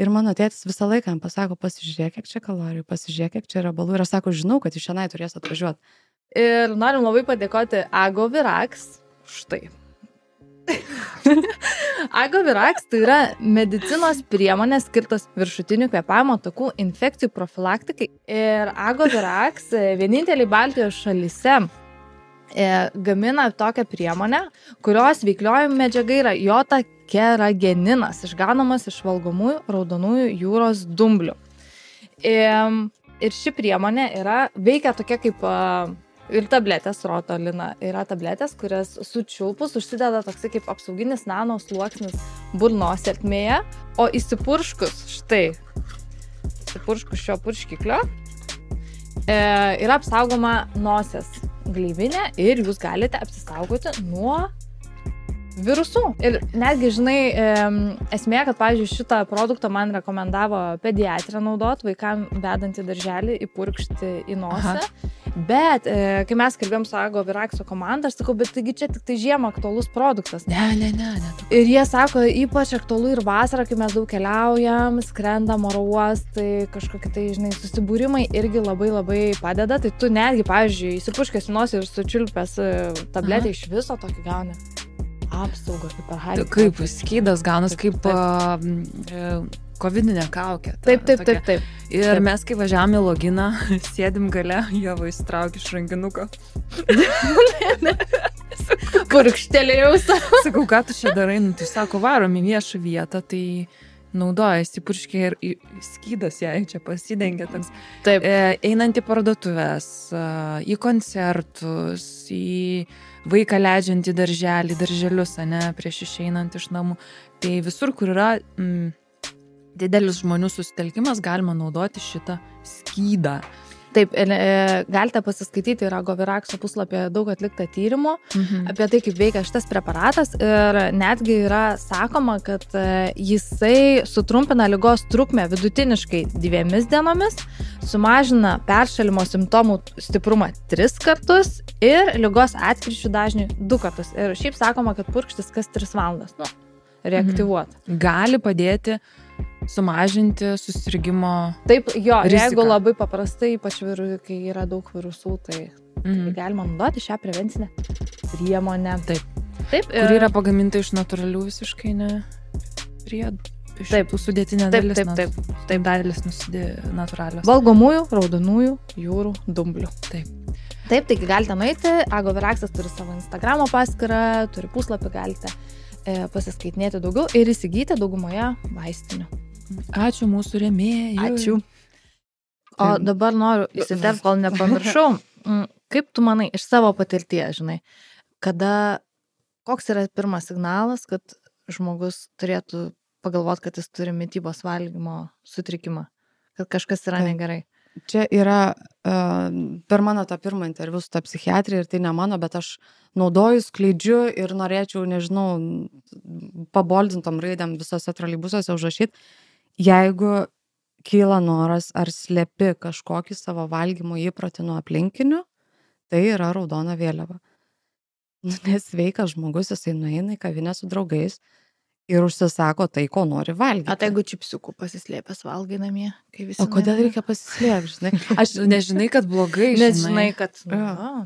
ir mano tėtis visą laiką jam pasako, pasižiūrėk, kiek čia kalorijų, pasižiūrėk, kiek čia riebalų, ir aš sako, žinau, kad iš šiandien turės atvažiuoti. Ir norim labai padėkoti Ago Viraks. Štai. Agovirax tai yra medicinos priemonės skirtos viršutinių kvėpavimo takų infekcijų profilaktikai. Ir Agovirax vieninteliai Baltijos šalyse gamina tokią priemonę, kurios veiklioji medžiaga yra jotakerageninas, išgaunamas iš valgomųjų raudonųjų jūros dumblių. Ir ši priemonė veikia tokia kaip ir tabletės, rotolina. Yra tabletės, kurias sučiulpus užsideda toksai kaip apsauginis nano sluoksnis burnos ertmėje, o įsipurškus šio purškiklio yra apsaugoma nosies gleivinė ir jūs galite apsisaugoti nuo virusų. Ir netgi, žinai, esmė, kad, pavyzdžiui, šitą produktą man rekomendavo pediatrė naudot, vaikam vedant į darželį, įpurkšti į nosį. Aha. Bet, kai mes kalbėjom su Agoviraxo komanda, aš sakau, bet taigi čia tik tai žiemą aktualus produktas. Ne. Ir jie sako, ypač aktualu ir vasarą, kai mes daug keliaujam, skrendam oro uostai, kažkokie tai, žinai, susibūrimai irgi labai padeda. Tai tu netgi, pavyzdžiui, įsipurškęs į nosį ir sučiulpęs tabletę iš viso tokį gauni. Apsauga, kaip ar Harry Potter. Kaip skydas gaunas, kaip kovidinė kaukė. Taip. Ir mes, kai važiavam į loginą, sėdim gale, Ieva įsitraukia iš rankinuko. Purkštelėjau. Sakau, ką tu čia darai? Nu, tai sako, varom į viešą vietą, tai naudojasi purškė ir skydas jai čia pasidengia toks. Taip. Einant į parduotuves, į koncertus, į vaiką leidžiant į darželį, darželius, prieš išeinant iš namų. Tai visur, kur yra didelis žmonių susitelkimas, galima naudoti šitą skydą. Taip, galite pasiskaityti ir Agoviraxo puslapyje daug atlikta tyrimų apie tai, kaip veikia šitas preparatas. Ir netgi yra sakoma, kad jisai sutrumpina ligos trukmę vidutiniškai 2 dienomis, sumažina peršalimo simptomų stiprumą 3 kartus ir ligos atkryčių dažnį 2 kartus. Ir šiaip sakoma, kad purkštis kas 3 valandas. Reaktyvuoti. Gali padėti sumažinti susirgimo Taip, jo, riziką. Jeigu labai paprastai, ypač kai yra daug virusų, tai galima naudoti šią prevencinę priemonę. Taip. Kur yra pagaminta iš natūralių visiškai priedų. Taip, sudėtinė dalis. Taip, dalis natūralios. Valgomųjų raudonųjų jūrų dumblių. Taip, taigi galite nueiti. Agoviraxas turi savo Instagramo paskyrą, turi puslapį, galite pasiskaitinėti daugiau ir įsigyti daugumoje vaistinių. Ačiū mūsų rėmėjai. Ačiū. O dabar noriu įsiterpti, kol nepamiršau. Kaip tu manai, iš savo patirties, žinai, koks yra pirmas signalas, kad žmogus turėtų pagalvoti, kad jis turi mitybos valgymo sutrikimą, kad kažkas yra negerai? Čia yra per mano tą pirmą interviu su ta psichiatrija ir tai ne mano, bet aš naudoju, skleidžiu ir norėčiau, nežinau, paboldintom raidėm visose troleibusuose užrašyti, jeigu kyla noras ar slepi kažkokį savo valgymo įprotį nuo aplinkinių, tai yra raudona vėliava. Nes sveikas žmogus, jisai nueina į kavinę su draugais ir užsisako tai, ko nori valgyti. O tai jeigu čipsiukų pasislėpęs valgai namie, kai visi... O kodėl reikia pasislėpti, žinai? Aš nežinai, kad blogai, nežinai, kad...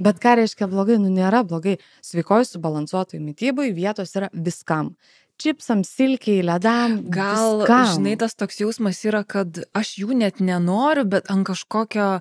Bet ką reiškia blogai? Nėra blogai. Sveikoj subalansuotoj mitybai vietos yra viskam. Čipsam, silkiai, ledam, gal, viskam. Žinai, tas toks jausmas yra, kad aš jų net nenoriu, bet ant kažkokio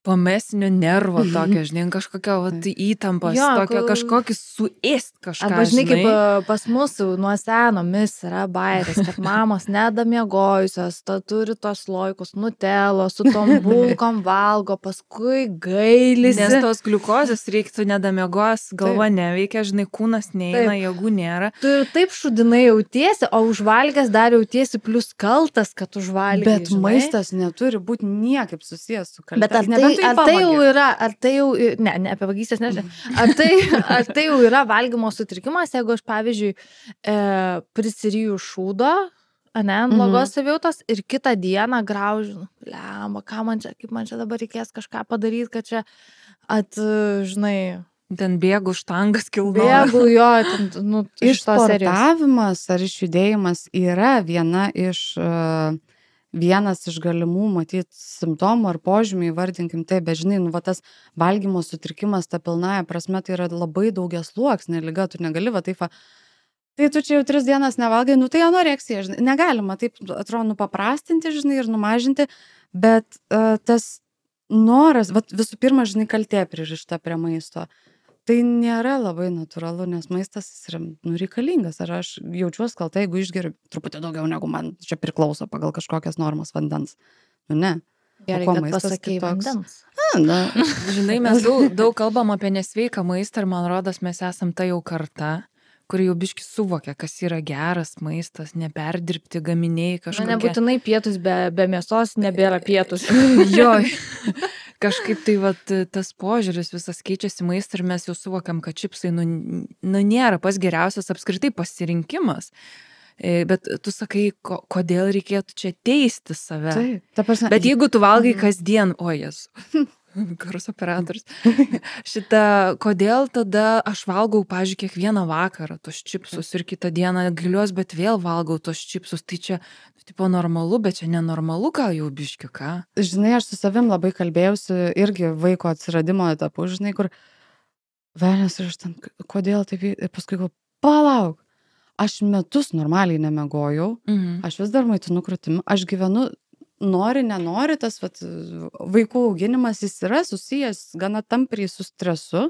pamesinio nervo tokio, žinai, kažkokio įtampos, tokio kažkokį suėst kažką, arba, žinai, kaip pas mus nuo senomis yra bairis, kad mamos nedamiegojusios, turi tos loikus, nutelo, su tom bulkom valgo, paskui gailisi. Nes tos gliukozės reiktų nedamiegos, galva neveikia, žinai, kūnas neina, jėgų nėra. Tu ir taip šudinai jautiesi, o užvalgęs dar jautiesi plus kaltas, kad užvalgė. Bet maistas neturi būti niekaip susijęs su kaltė. Bet ar tai jau, ne apie vagystės nežinau, ar tai jau yra valgymo sutrikimas, jeigu aš, pavyzdžiui, prisiryju šūdo, ant blogos savijautos ir kitą dieną graužiu, lemba, kaip man čia dabar reikės kažką padaryti, kad čia žinai... Ten bėgu štangas kilnoja. Bėgu, jo, iš tos serijos. Išsportavimas ar išjudėjimas yra vienas iš galimų, matyt, simptomų ar požymių, įvardinkim tai, bet žinai, tas valgymo sutrikimas, ta pilnaja prasme, tai yra labai daugiasluoksnė liga, tu negali taip tai tu čia jau 3 dienas nevalgai, nu tai anoreksija, žinai, negalima taip, atrodo, paprastinti, žinai, ir numažinti, bet tas noras, vat, visų pirma, žinai, kaltė pririšta prie maisto. Tai nėra labai natūralu, nes maistas yra reikalingas. Ar aš jaučiuosi kalta, jeigu išgeriu truputį daugiau, negu man čia priklauso pagal kažkokias normas vandens. Nu ne. Gerai, O ko kad maistas pasakei kitoks? vandens. Na, Žinai, mes daug kalbam apie nesveiką maistą ir man rodos, mes esam ta jau karta, kuri jau biški suvokia, kas yra geras maistas, neperdirbti gaminiai Na, kažkokie. nebūtinai pietus be mėsos nebėra pietus. Jo, kažkaip tai vat, tas požiūris visas keičiasi maistą ir mes jau suvokiam, kad čipsai nėra pas geriausias apskritai pasirinkimas. Bet tu sakai, kodėl reikėtų čia teisti save. taip, ta prasme. Bet jeigu tu valgai kasdien, ojas, garso operatorius, kodėl tada aš valgau, pavyzdžiui, kiekvieną vakarą tos čipsus ir kitą dieną giliuos, bet vėl valgau tos čipsus, tai čia, tipo, normalu, bet čia nenormalu gal jau biški, ką? Žinai, aš su savim labai kalbėjausi irgi vaiko atsiradimo etapu, žinai, kur velnias ir aš ten, kodėl taip, ir paskui galvoju, palauk, aš metus normaliai nemegojau, aš vis dar maitinu krūtimi, aš gyvenu, nori, nenori, tas vat, vaikų auginimas jis yra susijęs gana tampriai su stresu,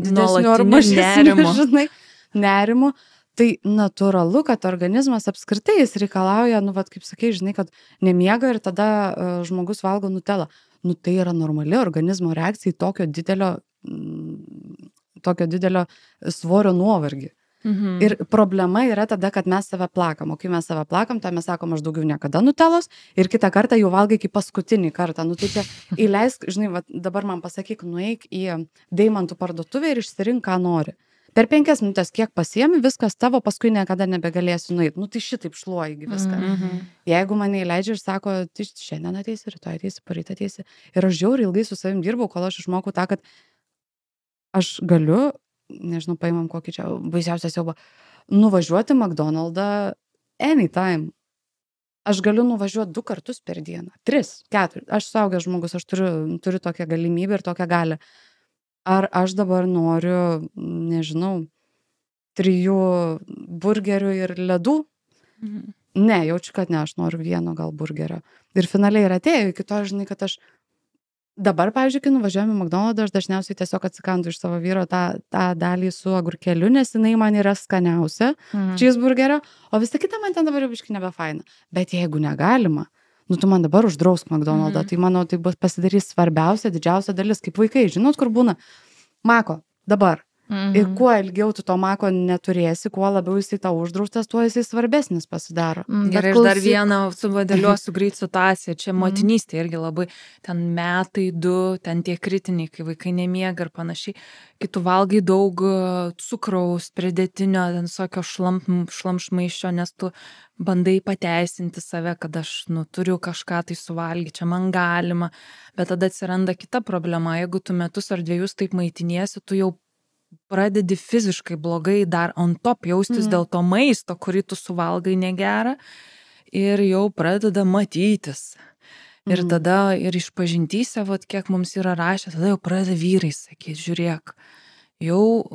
didesniu ar Nuolatiniu mažesniu, nerimu. žinai, nerimu. Tai natūralu, kad organizmas apskritai jis reikalauja, nu, vat, kaip sakai, žinai, kad nemiega ir tada žmogus valgo nutelą. Nu, tai yra normali organizmo reakcija į tokio didelio svorio nuovargį. Ir problema yra tada, kad mes save plakam. O kai mes save plakam, tai mes sakom, aš daugiau niekada nutelos ir kitą kartą jau valgai kaip paskutinį kartą. Nu tai čia įleisk, žinai, va, dabar man pasakyk, nueik į deimantų parduotuvę ir išsirink, ką nori. Per 5 minutės kiek pasiemi, viskas tavo, paskui niekada nebegalėsi nueiti. Nu tai šitaip šluoji viską. Jeigu mane įleidžia ir sako, tai šiandien ateisi, rytoj ateisi, poryt ateisi. Ir aš žiauriai ilgai su savim dirbau, kol aš išmokau tą, kad aš galiu, nežinau, paimam kokį čia baisiausią siaubą, nuvažiuoti McDonald'ą anytime. Aš galiu nuvažiuoti 2 kartus per dieną, 3, 4. Aš suaugęs žmogus, aš turiu tokią galimybę ir tokią galią. Ar aš dabar noriu, nežinau, 3 burgerių ir ledų? Ne, jaučiu, kad ne, aš noriu 1 gal burgerio. Ir finaliai ir atėjo iki to, žinai, kad aš dabar, pavyzdžiui, kai nuvažiuojame į McDonald'ą, aš dažniausiai tiesiog atsikandu iš savo vyro tą dalį su agurkeliu, nes jinai man yra skaniausia cheeseburgerio, o visa kita man ten dabar jau biškai nebefaina. Bet jeigu negalima, nu tu man dabar uždrausk McDonald'ą, tai manau, tai bus pasidarys svarbiausia, didžiausia dalis, kaip vaikai, žinot, kur būna mako, dabar. Ir kuo ilgiau tu to mako neturėsi, kuo labiau jisai tau uždraustas, tuo jisai svarbesnis pasidaro. Gerai, aš dar vieną suvadėliuosiu greit situaciją. Čia motinystė irgi labai, ten metai, 2, ten tie kritiniai, kai vaikai nemiega ir panašiai. Kai tu valgai daug cukraus, pridėtinio, ten visokio šlamšmaiščio, nes tu bandai pateisinti save, kad aš turiu kažką tai suvalgyti, čia man galima. Bet tada atsiranda kita problema. Jeigu tu metus ar 2 taip maitiniesi, tu jau pradedi fiziškai blogai dar on top jaustis dėl to maisto, kurį tu suvalgai negerą ir jau pradeda matytis. Ir tada ir išpažintyse, vat, kiek mums yra rašę, tada jau pradeda vyrai sakyti, žiūrėk, jau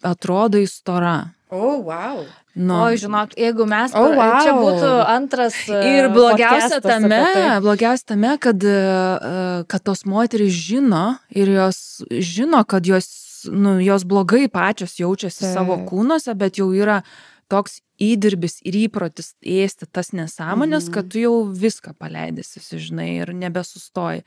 atrodo įstora. Wow. Oi, žinok, jeigu mes, čia būtų antras ir blogiausia podcastas tame, kad tos moterys žino ir jos žino, kad jos blogai pačios jaučiasi savo kūnuose, bet jau yra toks įdirbis ir įprotis ėsti tas nesąmonės, kad tu jau viską paleidėsi, žinai, ir nebesustoji.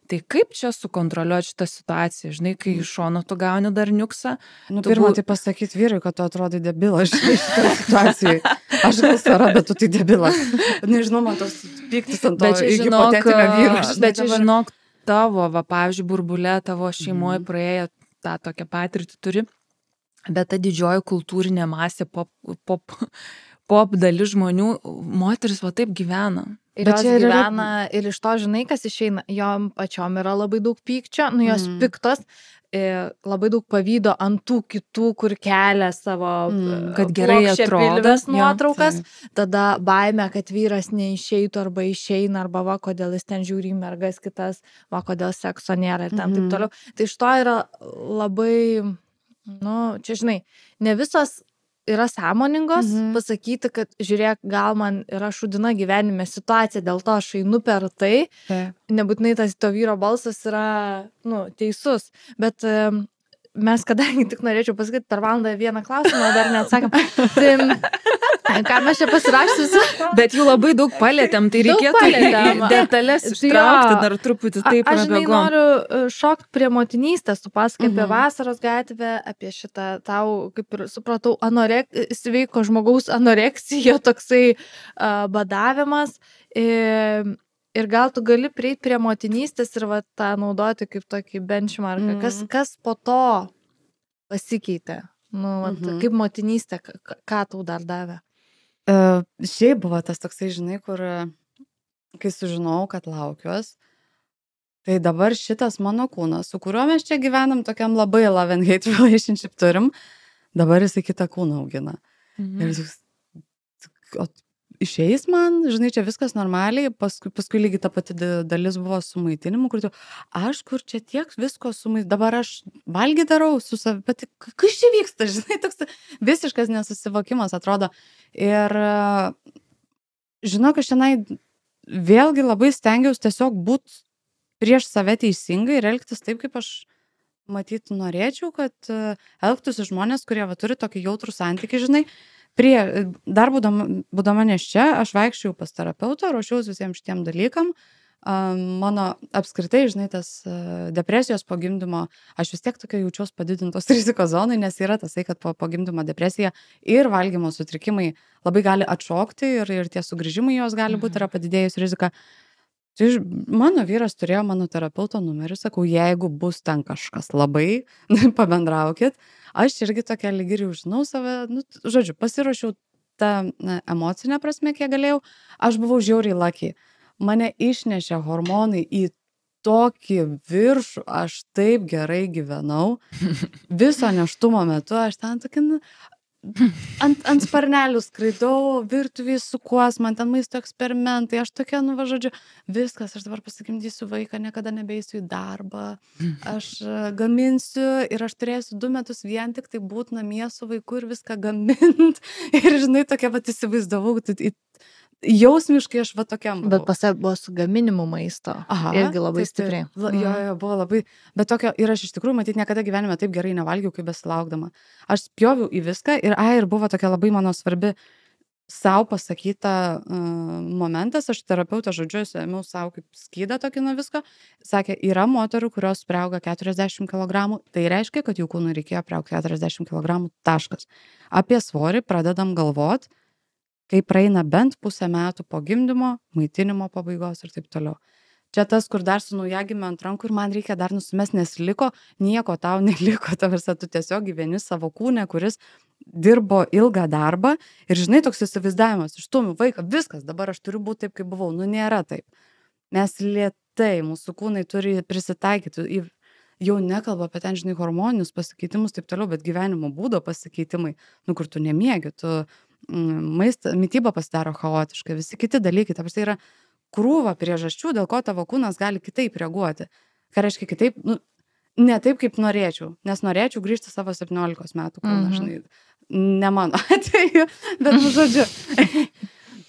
Tai kaip čia sukontroliuoti šitą situaciją, žinai, kai iš šono tu gauni dar niuksą? Pirmą tai pasakyti vyrui, kad tu atrodai debilas šitoje situacijoje. Aš gal sara, bet tu tai debilas. Nežinau, man tos pyktis ant to hipotetinio vyro. Bet čia žinok, tavo, pavyzdžiui, burbulė, tavo šeimoje praėjo tą tokią patirtį turi, bet ta didžioji kultūrinė masė, pop dalis žmonių, moteris va taip gyvena. Ir jos gyvena, ir iš to, žinai, kas išeina, jom pačiom yra labai daug pykčio, jos piktos, labai daug pavydo ant tų kitų, kur kelia savo kad gerai atrodo nuotraukas, tada baimė, kad vyras neišeitų arba išeina, arba va, kodėl jis ten žiūri į mergas kitas, va, kodėl sekso nėra ir ten taip toliau. Tai iš to yra labai, čia žinai, ne visos yra sąmoningos, pasakyti, kad žiūrėk, gal man yra šudina gyvenime situacija, dėl to aš einu per tai, nebūtinai tas to vyro balsas yra, teisus, bet mes, kadangi tik norėčiau pasakyti per valandą vieną klausimą, dar neatsakėm, tai ką mes čia pasirašysiu, bet jų labai daug palėtėm, tai reikėtų detalės ištraukti dar truputį taip. Aš noriu šokti prie motinystės, tu pasakai apie vasaros gatvę, apie šitą tau, kaip ir supratau, sveiko žmogaus anoreksija, toksai badavimas. Ir gal tu gali prieiti prie motinystės ir tą naudoti kaip tokį benchmarką. Kas po to pasikeitė? Kaip motinystė, ką tau dar davė? Šiaip buvo tas toksai, žinai, kur, kai sužinojau, kad laukiuos, tai dabar šitas mano kūnas, su kuriuo mes čia gyvenam, tokiam labai love and hate relationship turim, dabar jisai kitą kūną augina. Ir išeis man, žinai, čia viskas normaliai, paskui lygiai ta pati dalis buvo su maitinimu, kur aš kur čia tiek visko dabar aš valgy darau su savi, bet kas čia vyksta, žinai, toks visiškas nesusivokimas atrodo. Ir žinok, aš tenai vėlgi labai stengiausi tiesiog būti prieš save teisingai ir elgtis taip, kaip aš matyt norėčiau, kad elgtųsi žmonės, kurie turi tokį jautrų santykį, žinai. Dar būdama nėščia, aš vaikščiau pas terapeutą, ruošiausi visiems šitiem dalykam. Mano apskritai, žinai, tas depresijos po gimdymo, aš vis tiek tokia jaučiaus padidintos rizikos zonai, nes yra tasai, kad po gimdymo depresija ir valgymo sutrikimai labai gali atšokti ir tie sugrįžimai jos gali būti, yra padidėjus rizika. Tai mano vyras turėjo mano terapeuto numerį, sakau, jeigu bus ten kažkas labai, pabendraukit. Aš irgi tokia lyg ir jau žinau save, žodžiu, pasiruošiau tą emocinę prasme, kiek galėjau. Aš buvau žiauriai lucky. Mane išnešė hormonai į tokį viršų, aš taip gerai gyvenau. Viso nėštumo metu aš ten tokia... Ant sparnelių skraidau, virtuviai sukuos, man ten maisto eksperimentai, aš tokia, žodžiu, viskas, aš dabar pasigimdysiu vaiką, niekada nebeisiu į darbą, aš gaminsiu ir aš turėsiu 2 metus vien tik tai būt namie su vaiku ir viską gamint. Ir žinai, tokia įsivaizdavau, jausmiškai aš tokiam buvau. Bet pas buvo su gaminimu maisto. Irgi labai stipriai. Jo, buvo labai. Bet tokio, ir aš iš tikrųjų, matyt, niekada gyvenime taip gerai nevalgiau, kaip besilaukdama. Aš spjoviau į viską ir buvo tokia labai mano svarbi sau pasakyta momentas. Aš terapeutą žodžiu, ėmiau sau kaip skydą tokį nuo visko. Sakė, yra moterų, kurios priauga 40 kg. Tai reiškia, kad jų kūnui reikėjo priaugti 40 kg. Taškas. Apie svorį pradedam galvot, kai praeina bent pusę metų po gimdymo, maitinimo pabaigos ir taip toliau. Čia tas, kur dar su naujagimiu ant rankų ir man reikia dar nusimest, nes nieko tau neliko, tu tiesiog gyveni savo kūne, kuris dirbo ilgą darbą ir žinai, toks įsivaizdavimas, išstumiu vaiką, viskas, dabar aš turiu būti taip, kaip buvau. Nėra taip. Mes lėtai, mūsų kūnai turi prisitaikyti, jau nekalba apie ten, žinai, hormoninius pasikeitimus, taip toliau, bet gyvenimo būdo pasikeitimai, kur tu nemiegi, tu mityba pasidaro chaotiškai, visi kiti dalykai, tai yra krūva priežasčių, dėl ko tavo kūnas gali kitaip reaguoti. Ką reiškia kitaip? Ne taip, kaip norėčiau, nes norėčiau grįžti savo 17 metų kūną, žinai, ne mano atveju, bet žodžiu.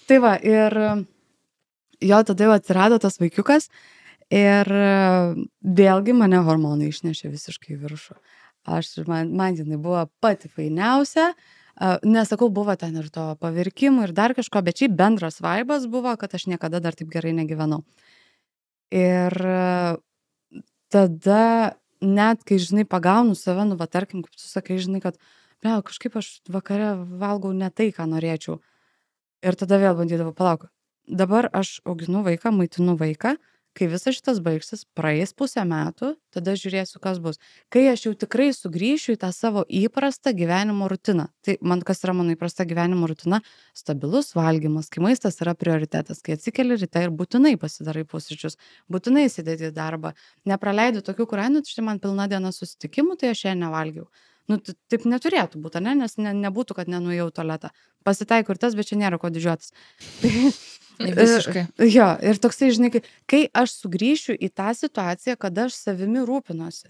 Tai va, ir jo tada jau atsirado tas vaikiukas ir vėlgi mane hormonai išnešė visiškai į viršų. Man jinai buvo pati fainiausia. Nesakau, buvo ten ir to pavirkimų ir dar kažko, bet šiaip bendras vaibas buvo, kad aš niekada dar taip gerai negyvenau. Ir tada net, kai, žinai, pagaunu save, tarkim, kaip tu sakai, žinai, kad kažkaip aš vakare valgau ne tai, ką norėčiau. Ir tada vėl bandydavau, palauk, dabar aš auginu vaiką, maitinu vaiką, kai visas šitas baigsis, praeis pusę metų, tada žiūrėsiu, kas bus. Kai aš jau tikrai sugrįšiu į tą savo įprastą gyvenimo rutiną. Tai kas yra mano įprasta gyvenimo rutina? Stabilus valgymas, kai maistas yra prioritetas, kai atsikeli ryte ir būtinai pasidarai pusryčius, būtinai įsidėti į darbą. Nepraleidžiu tokių, kur štai man pilna diena susitikimų, tai aš ją nevalgiau. Taip neturėtų būti, nes nebūtų, kad nenuėjau į tualetą. Pasitaiko ir tas, bet čia nėra ko didžiuotis. Visiškai. Jo, ir toksai, žinai, kai aš sugrįšiu į tą situaciją, kada aš savimi rūpinosi.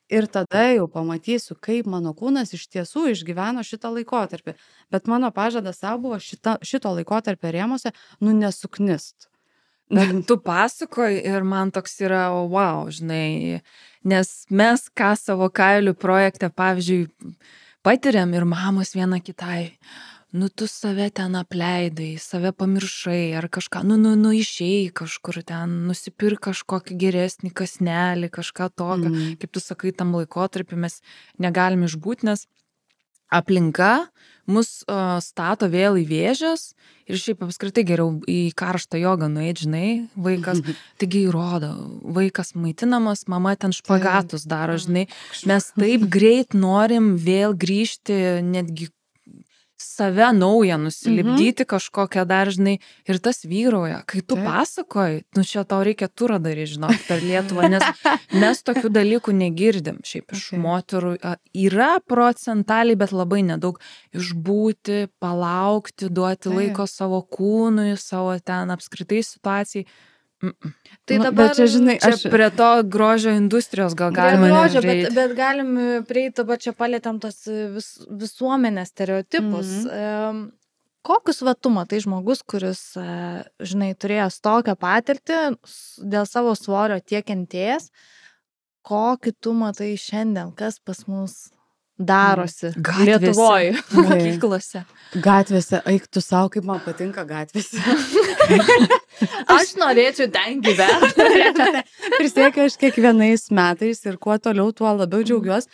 Ir tada jau pamatysiu, kaip mano kūnas iš tiesų išgyveno šitą laikotarpį. Bet mano pažadas savo buvo šito laikotarpio rėmose, nesuknist. Bet tu pasakoji ir man toks yra, wow, žinai, nes mes ką savo kailių projekte, pavyzdžiui, patiriam ir mamos viena kitai, tu save ten apleidai, save pamiršai ar kažką, išėjai kažkur ten, nusipirk kažkokį geresnį kasnelį, kažką tokio, kaip tu sakai, tam laikotarpį mes negalim išbūti, nes aplinka mus stato vėl į vėžes ir šiaip apskritai geriau į karštą jogą nueit, žinai, vaikas, taigi įrodo, vaikas maitinamas, mama ten špagatus daro, žinai, mes taip greit norim vėl grįžti, netgi save naują nusilipdyti kažkokią dar, žinai, ir tas vyrauja. Kai tu pasakoji, čia tau reikia turą daryti, žinok, per Lietuvą, nes mes tokių dalykų negirdim. Šiaip iš moterų yra procentaliai, bet labai nedaug. Išbūti, palaukti, duoti laiko savo kūnui, savo ten apskritai situacijai. Tai dabar, čia, žinai, prie to grožio industrijos gal galima grožio, bet galim prieiti, dabar čia palėtėm tos visuomenės stereotipus. Kokius tu matai žmogus, kuris, žinai, turėjęs tokią patirtį dėl savo svorio tiek kentėjęs, kokį tu matai šiandien, kas pas mus darosi Lietuvoje, mokyklose? Gatvėse, eik tu savo, kaip man patinka gatvėse. Aš norėčiau ten gyventi. Prisiekiu aš kiekvienais metais ir kuo toliau, tuo labiau džiaugiuosi.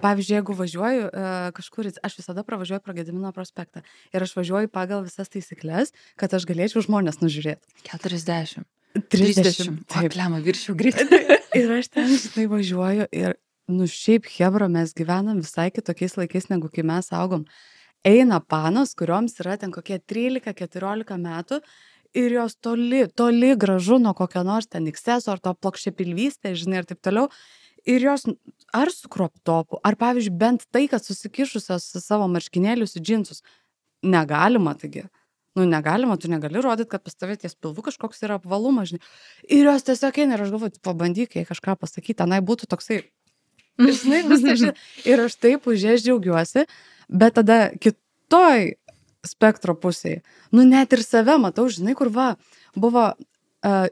Pavyzdžiui, jeigu važiuoju kažkur, aš visada pravažiuoju pro Gedimino prospektą ir aš važiuoju pagal visas taisyklės, kad aš galėčiau žmonės nužiūrėti. 40. 30. Taip, lema, viršiau greitai. Ir aš ten, žinai, važiuoju ir, šiaip hebra, mes gyvenam visai kitokiais laikais, negu kai mes augom. Eina panos, kurioms yra ten kokie 13-14 metų ir jos toli gražu nuo kokio nors ten ikseso ar to plokščiapilvystė, žinai, ir taip toliau. Ir jos ar su kroptopu, ar pavyzdžiui, bent tai, kad susikišusios savo marškinėlius į džinsus. Negalima, taigi. Negalima, tu negali rodyti, kad pas tavę ties pilvu kažkoks yra apvalumas, žinai. Ir jos tiesiog eina ir aš galvoju, pabandyk, jei kažką pasakyti, tenai būtų toksai. Žinai, visą. Ir aš taip už jas džiaugiuosi, bet tada kitoj spektro pusėje, net ir save matau, žinai, kur buvo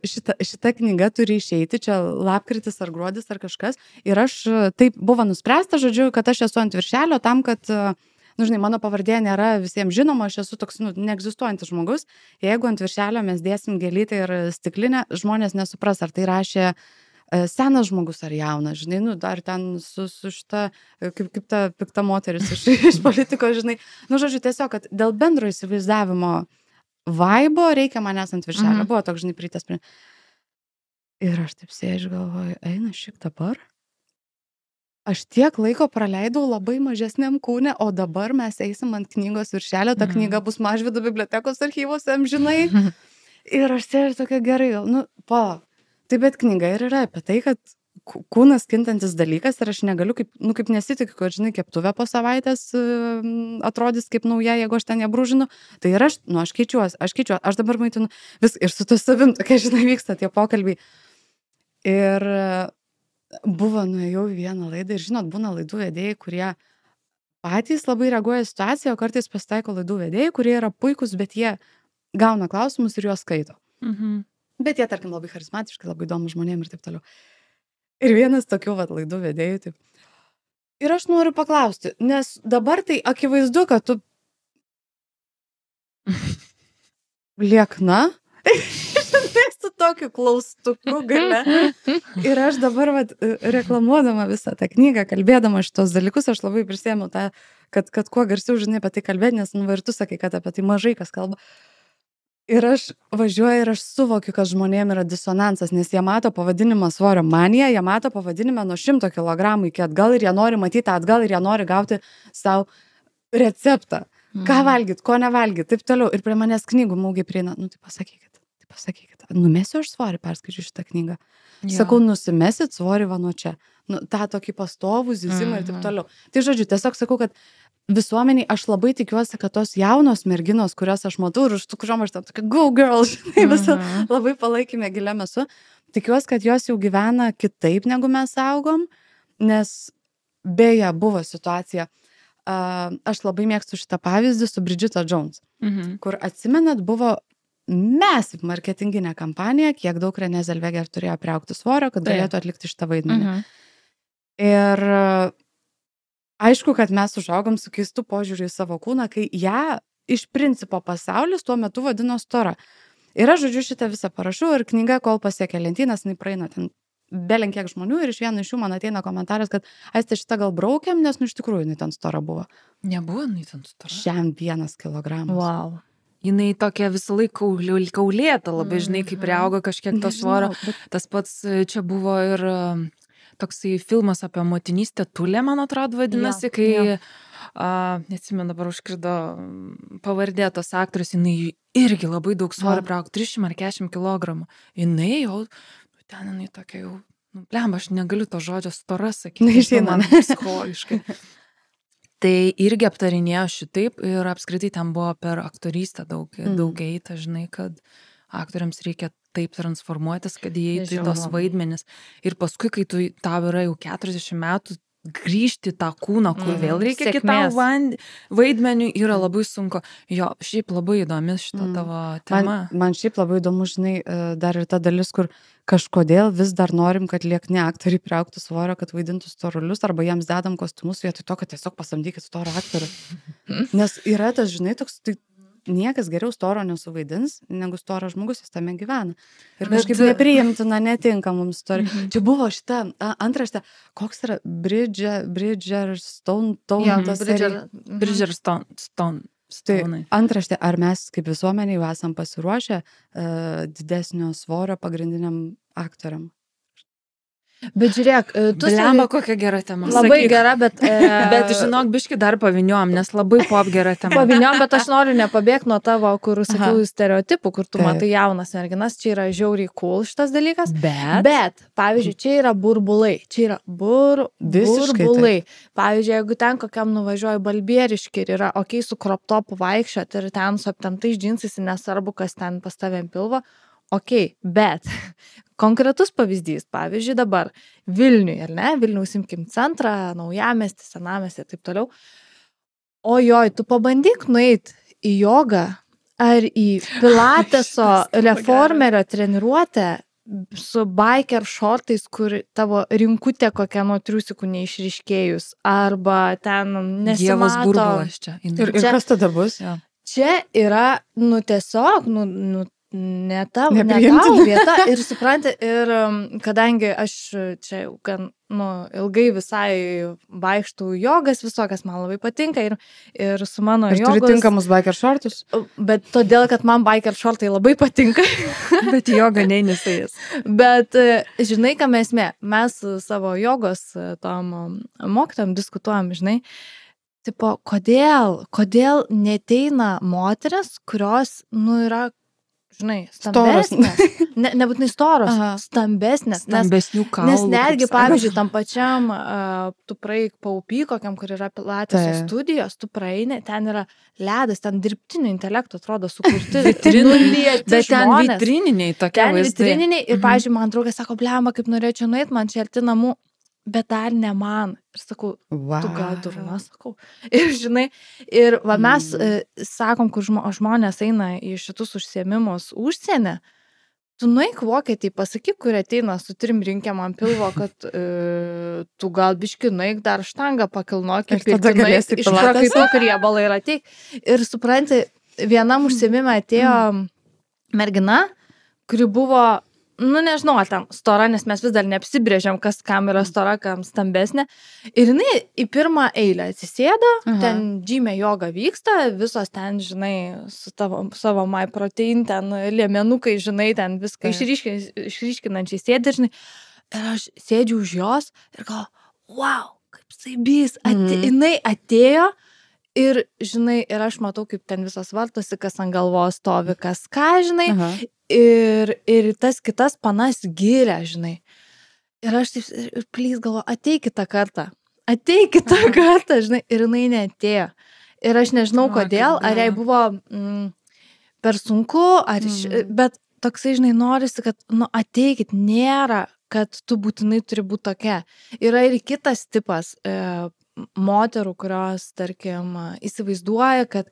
šita knyga turi išeiti, čia lapkritis ar gruodis ar kažkas, ir aš taip buvo nuspręsta, žodžiu, kad aš esu ant viršelio tam, kad, žinai, mano pavardė nėra visiems žinoma, aš esu toks, neegzistuojantis žmogus, jeigu ant viršelio mes dėsim gėlytę ir stiklinę, žmonės nesupras, ar tai rašė senas žmogus ar jaunas, žinai, dar ten su šita, kaip ta pikta moteris iš politikos, žinai, žodžiu, tiesiog, kad dėl bendro įsivaizdavimo vaibo reikia manęs ant viršelio, buvo toks, žinai, pritės. Ir aš taip sėdžiu, galvoju, eina šiek dabar. Aš tiek laiko praleidau labai mažesniam kūne, o dabar mes eisim ant knygos viršelio, ta knyga bus Mažvydo bibliotekos archyvose, žinai. Ir aš sėdžiu tokia gerai, palauk. Tai bet knyga ir yra apie tai, kad kūnas kintantis dalykas ir aš negaliu, kaip nesitikiu, kad, žinai, keptuvė po savaitės atrodys kaip nauja, jeigu aš ten ją brūžinu. Tai ir aš keičiuosi, aš dabar maitinu viską ir su to savim tokia, žinai, vyksta tie pokalbiai. Ir nuėjau į vieną laidą ir, žinot, būna laidų vedėjai, kurie patys labai reaguoja į situaciją, o kartais pasitaiko laidų vedėjai, kurie yra puikus, bet jie gauna klausimus ir juos skaito. Bet jie, tarkim, labai charizmatiškai, labai įdomu žmonėm ir taip toliau. Ir vienas tokių laidų vedėjų taip. Ir aš noriu paklausti, nes dabar tai akivaizdu, kad tu liekna, su tokiu klaustuku gale. Ir aš dabar reklamuodama visą tą knygą, kalbėdama šitos dalykus, aš labai prisėmiau tą, kad kuo garsiau, žinai, apie tai kalbėti, nes ir tu sakai, kad apie tai mažai kas kalba. Ir aš važiuoju ir aš suvokiu, kad žmonėm yra disonansas, nes jie mato pavadinimą svorio manija, jie mato pavadinimą nuo 100 kg iki atgal ir jie nori matyti atgal ir jie nori gauti savo receptą. Ką valgyt, ko nevalgyt, taip toliau. Ir prie manęs knygų maugiai prieina, tai pasakykit. Numesiu aš svorį, perskaičiu šitą knygą. Sakau, nusimesit svorį nuo čia. tą tokį pastovų zyzimą ir taip toliau. Tai žodžiu, tiesiog sakau, kad visuomeniai aš labai tikiuosi, kad tos jaunos merginos, kurias aš matau ir už tų, kuriuom aš tam tokia go girl, žinai, visą labai palaikymę giliam esu, tikiuosi, kad jos jau gyvena kitaip, negu mes augom. Nes beje buvo situacija, aš labai mėgstu šitą pavyzdį su Bridget Jones, kur atsimenat buvo massive marketinginė kampanija, kiek daug Renée Zellweger turėjo priaugti svorio, kad galėtų atlikti šitą vaidmenį. Ir aišku, kad mes užaugom su keistu požiūriu į savo kūną, kai ją iš principo pasaulis tuo metu vadino stora. Ir aš, žodžiu, šitą visą parašau ir knyga, kol pasiekia lentynas, jinai praeina ten belenkiek žmonių ir iš vieno iš jų man ateina komentaras, kad Aiste šitą gal braukiam, nes iš tikrųjų jinai ten stora buvo. Nebuvo jinai ten stora. Šiam 1 kilogramas. Wow. Jinai tokia visą laiką kaulėta, labai žinai, kai priauga kažkiek to svorio. Tas pats čia buvo ir toksai filmas apie motinystę Tulė, man atrodo, vadinasi, kai, neatsimenu, dabar užkrido pavardė tos aktorius, jinai irgi labai daug svorio priaugo, 300 ar 40 kilogramų. Jinai jau, ten jinai tokia jau, blemba, aš negaliu to žodžio stora sakyti, man psichologiškai. Tai irgi aptarinėjo šitaip ir apskritai ten buvo per aktorystę daug eita, žinai, kad aktoriams reikia taip transformuotis, kad įeitų į tos vaidmenis. Ir paskui, kai tau yra jau 40 metų, grįžti tą kūną, kur vėl reikia kitam vaidmeniui, yra labai sunku. Jo, šiaip labai įdomi šita tavo tema. Man šiaip labai įdomu, žinai, dar ir ta dalis, kur kažkodėl vis dar norim, kad liekni aktoriai priaugtų svorio, kad vaidintų storulius, arba jiems dedam kostiumus vietoj to, kad tiesiog pasamdykit storą aktorių. Nes yra tas, žinai, toks, tai niekas geriau storo nesuvaidins, negu storas žmogus, jis tame gyvena. Ir kažkaip nepriimtina, netinka mums istorija. Čia buvo šita antraštė, koks yra Bridgerstone. Tai antraštė, ar mes kaip visuomenė jau esam pasiruošę didesnio svorio pagrindiniam aktoriam? Bet žiūrėk, tu Blemba, kokia gera tema. Labai gera, bet... Bet žinok, biški dar paviniom, nes labai pop gera tema. Paviniom, bet aš noriu nepabėgti nuo tavo, kur sakiau, stereotipų, kur tu matai jaunas merginas, čia yra žiauriai cool šitas dalykas. Bet, pavyzdžiui, čia yra burbulai. Čia yra burbulai. Pavyzdžiui, jeigu ten kokiam nuvažiuoju Balbieriškį ir yra okei su crop topu vaikščiot ir ten su aptemptais džinsais, nesvarbu, kas ten pas tavėm pilvo, okei, bet konkretus pavyzdys, pavyzdžiui, dabar Vilniui, ar ne? Vilniaus imkim centrą, Naujamiestį, Senamiestį ir taip toliau. Ojoj, tu pabandyk nueit į jogą ar į pilateso reformerio treniruotę su biker šortais, kur tavo rinkutė kokia nuo triusikų neišryškėjus, arba ten nesimato. Dievas burbulas čia. Ir kas tada bus? Čia yra, tiesiog, ne tau vieta ir supranti, ir kadangi aš čia gan, ilgai visai vaikštų jogas visokas, man labai patinka ir su mano jogos... Ir turi tinkamus biker šortus? Bet todėl, kad man biker šortai labai patinka. Bet joga neįnisais. Bet žinai, ką mes savo jogos tom mokytojam diskutuojam, žinai, tipo, kodėl neteina moteris, kurios, yra žinai, stambesnės. Nebūtinai storos, stambesnės. Stambesnių kaulų. Nes netgi, pavyzdžiui, tam pačiam, tu praeik paupy, kokiam, kur yra pilateso studijos, tu praeini, ten yra ledas, ten dirbtinio intelekto atrodo sukurti. Bet ten vitrininiai tokie vaizdai. Ten vitrininiai ir, pavyzdžiui, man draugas sako, blemba, kaip norėčiau nueit, man čia arti namų, bet dar ne man. Ir sakau, tu gal durna, sakau. Ir žinai, ir mes sakom, kur žmonės eina į šitus užsiėmimus užsienį, tu nueik Vokietį, pasakyk, kur ateina su 3 rinkėm ant pilvo, kad tu gal biški nueik dar štangą pakilnok ir išprakaituok riebalą ir ateik. Ir supranti, vienam užsiėmime atėjo mergina, kuri buvo nežinau, ten stora, nes mes vis dar neapsibrėžiam, kas kam yra stora, kam stambesnė. Ir jinai į pirmą eilę atsisėdo, ten džymė joga vyksta, visos ten, žinai, su savo MyProtein, ten liemenukai, žinai, ten viską išryškinančiai sėdi, žinai. Ir aš sėdžiu už jos ir galvoju, wow, kaip saibys, jinai atėjo. Ir, žinai, ir aš matau, kaip ten visos vartosi, kas ant galvos stovi, kas ką, žinai. Ir tas kitas panas giria, žinai. Ir aš taip, please galvoju, ateik kitą kartą, žinai. Ir jinai neatėjo. Ir aš nežinau, kodėl, ar jai buvo per sunku, bet toksai, žinai, norisi, kad, ateikit, nėra kad tu būtinai turi būti tokia. Yra ir kitas tipas moterų, kurios, tarkim, įsivaizduoja, kad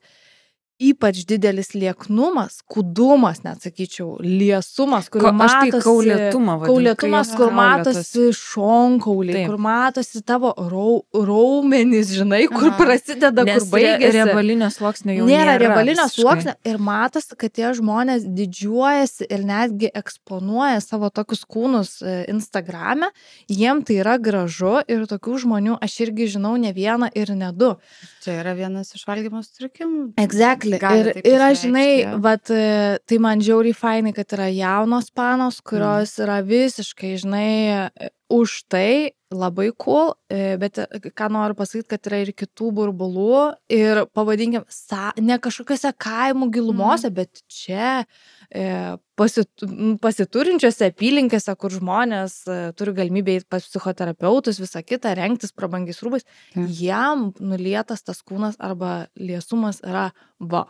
ypač didelis lieknumas, kūdumas, net sakyčiau, liesumas, kur matosi kaulėtumas, kur matosi šonkauliai, kur matosi tavo raumenys, žinai, kur prasideda, kur baigėsi. Riebalinio sluoksnio jau nėra riebalinio sluoksnio ir matosi, kad tie žmonės didžiuojasi ir netgi eksponuoja savo tokius kūnus Instagrame, jiem tai yra gražu ir tokių žmonių aš irgi žinau ne vieną ir ne du. Čia yra vienas iš valgymo sutrikimų. Exactly. Ir aš, žinai, vat, tai man žiauriai fainai, kad yra jaunos panos, kurios yra visiškai, žinai, už tai labai cool, bet ką noriu pasakyti, kad yra ir kitų burbulų ir pavadinkim, ne kažkokiose kaimų gilumose, bet čia pasiturinčiose apylinkėse, kur žmonės turi galimybę eiti pas psichoterapeutus, visą kitą, rengtis prabangiais rūbais, jam nulietas tas kūnas arba liesumas yra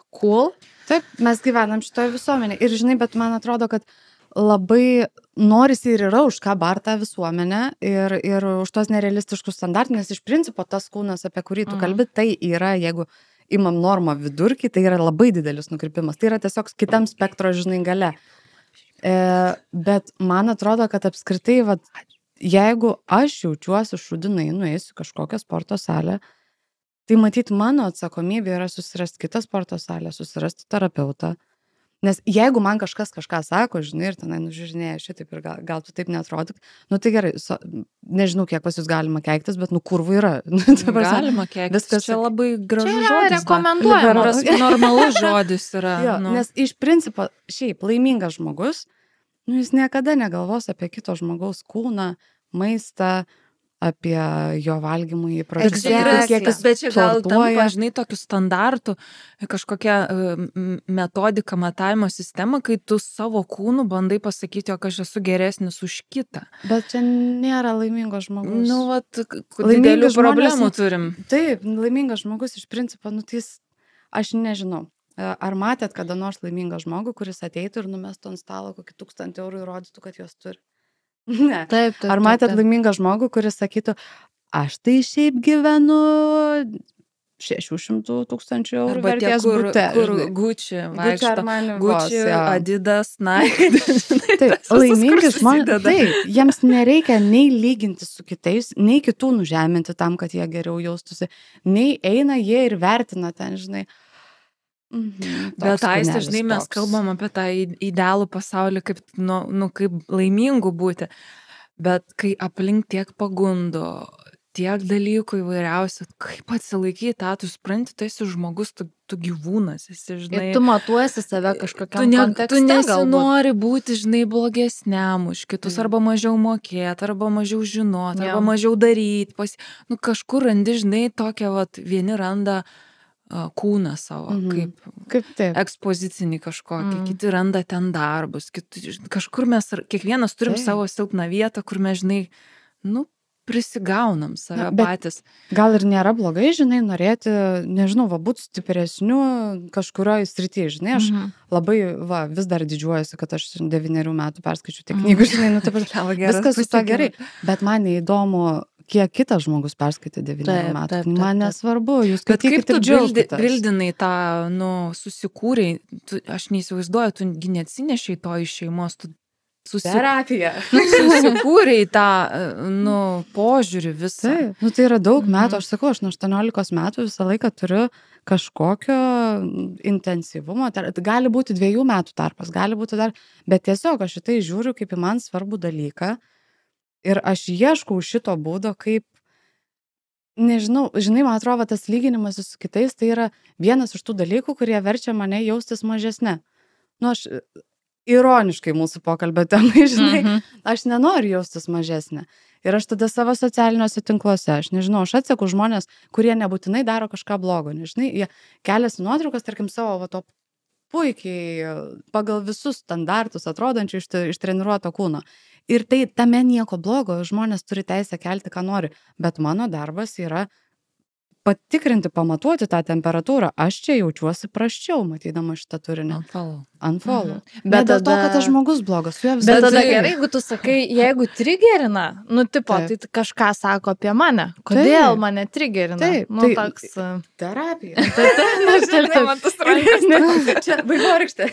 cool. Taip, mes gyvenam šitoje visuomenėje ir žinai, bet man atrodo, kad labai norisi ir yra už ką barta visuomenė ir už tos nerealistiškus standartus, nes iš principo tas kūnas, apie kurį tu kalbi, tai yra, jeigu imam normą vidurkį, tai yra labai didelis nukrypimas. Tai yra tiesiog kitam spektro, žinai, gale. Bet man atrodo, kad apskritai, jeigu aš jaučiuosi šudinai, nueisiu kažkokią sporto salę, tai matyt, mano atsakomybė yra susirasti kitą sporto salę, susirasti terapeutą. Nes jeigu man kažką sako, žinai, ir tenai nužiūrinėja šitaip ir gal tu taip neatrodyk, nu tai gerai, nežinau, kiek pas jūs galima keiktis, bet kurvų yra. Galima keiktis, viskas čia labai gražus žodis. Čia rekomenduojamas. Normalus žodis yra. Jo, nes iš principo, šiaip laimingas žmogus, nu jis niekada negalvos apie kito žmogaus kūną, maistą, apie jo valgymų įpročius. Bet čia gal tampa, žinai, tokių standartų, kažkokia metodika, matavimo sistema, kai tu savo kūnų bandai pasakyti, jog aš esu geresnis už kitą. Bet čia nėra laimingo žmogus. Nu, didelių problemų turim. Taip, laimingas žmogus iš principo, nu tai aš nežinau. Ar matėt kada nors laimingą žmogų, kuris ateitų ir numestų ant stalo kokį 1000 eurų ir rodytų, kad jos turi? Ne. Taip. Ar matėt laimingą žmogų, kuris sakytų, aš tai šiaip gyvenu 600 000 eurų vertės bute. Kur Gucci vaikšto, Gucci, Adidas, Nike. Taip, laimingi žmonės, taip, jiems nereikia nei lyginti su kitais, nei kitų nužeminti tam, kad jie geriau jaustųsi, nei eina jie ir vertina ten, žinai. Bet Aiste, žinai, mes kalbam apie tą idealų pasaulį, kaip, kaip laimingų būti, bet kai aplink tiek pagundų, tiek dalykų įvairiausių, kaip atsilaikyti tą, tu supranti, tu esi žmogus, tu gyvūnas, esi, žinai. Ir tu matuosi save kažkokiam kontekste. Tu nesinori būti, žinai, blogesniam už kitus, arba mažiau mokėti, arba mažiau žinoti, arba mažiau daryti. Kažkur randi, žinai, tokią, vieni randa kūną savo, kaip ekspozicinį kažkokį, kiti randa ten darbus, kažkur mes, kiekvienas turim savo silpną vietą, kur mes, žinai, prisigaunam save patys. Gal ir nėra blogai, žinai, norėti, nežinau, būti stipresniu kažkurioje srityje, žinai, aš labai, vis dar didžiuojuosi, kad aš 9 metų perskaičiu tiek knygų, žinai, viskas su to gerai, bet man neįdomu, kiek kitas žmogus perskaitė 9 metų. Man nesvarbu, jūs skaitykite ir džiaugitės. Kaip tu bildinai tą, susikūrei, aš neįsivaizduoju, tu neatsinešiai to iš šeimos, tu terapija. Susikūrei tą, požiūrį visą. Taip, tai yra daug metų, aš sakau, aš nuo 18 metų visą laiką turiu kažkokio intensyvumo, gali būti 2 metų tarpas, gali būti dar, bet tiesiog aš šitai žiūriu kaip į man svarbų dalyką. Ir aš ieškau šito būdo, kaip, nežinau, žinai, man atrodo, tas lyginimas su kitais, tai yra vienas iš tų dalykų, kurie verčia mane jaustis mažesne. Aš ironiškai mūsų pokalbio temai, žinai, aš nenoriu jaustis mažesnė. Ir aš tada savo socialiniuose tinkluose, aš nežinau, aš atseku žmonės, kurie nebūtinai daro kažką blogo, nežinai, jie keliasi nuotraukas, tarkim, savo to puikiai pagal visus standartus atrodančių ištreniruoto kūno. Ir tai tame nieko blogo, žmonės turi teisę kelti, ką nori, bet mano darbas yra patikrinti, pamatuoti tą temperatūrą. Aš čia jaučiuosi prasčiau, matydama šitą turinį. unfollow. Bet Bet dėl to, tada- kad tas žmogus blogas, su juo Bet visą tada tai- gerai, jeigu tu sakai, jeigu trigerina, nu, tipo, Taip. tai kažką sako apie mane. Kodėl Taip. mane trigerina? Taip, Nu, tai- toks... terapija. Man tas rankas. Čia vaivorykštė.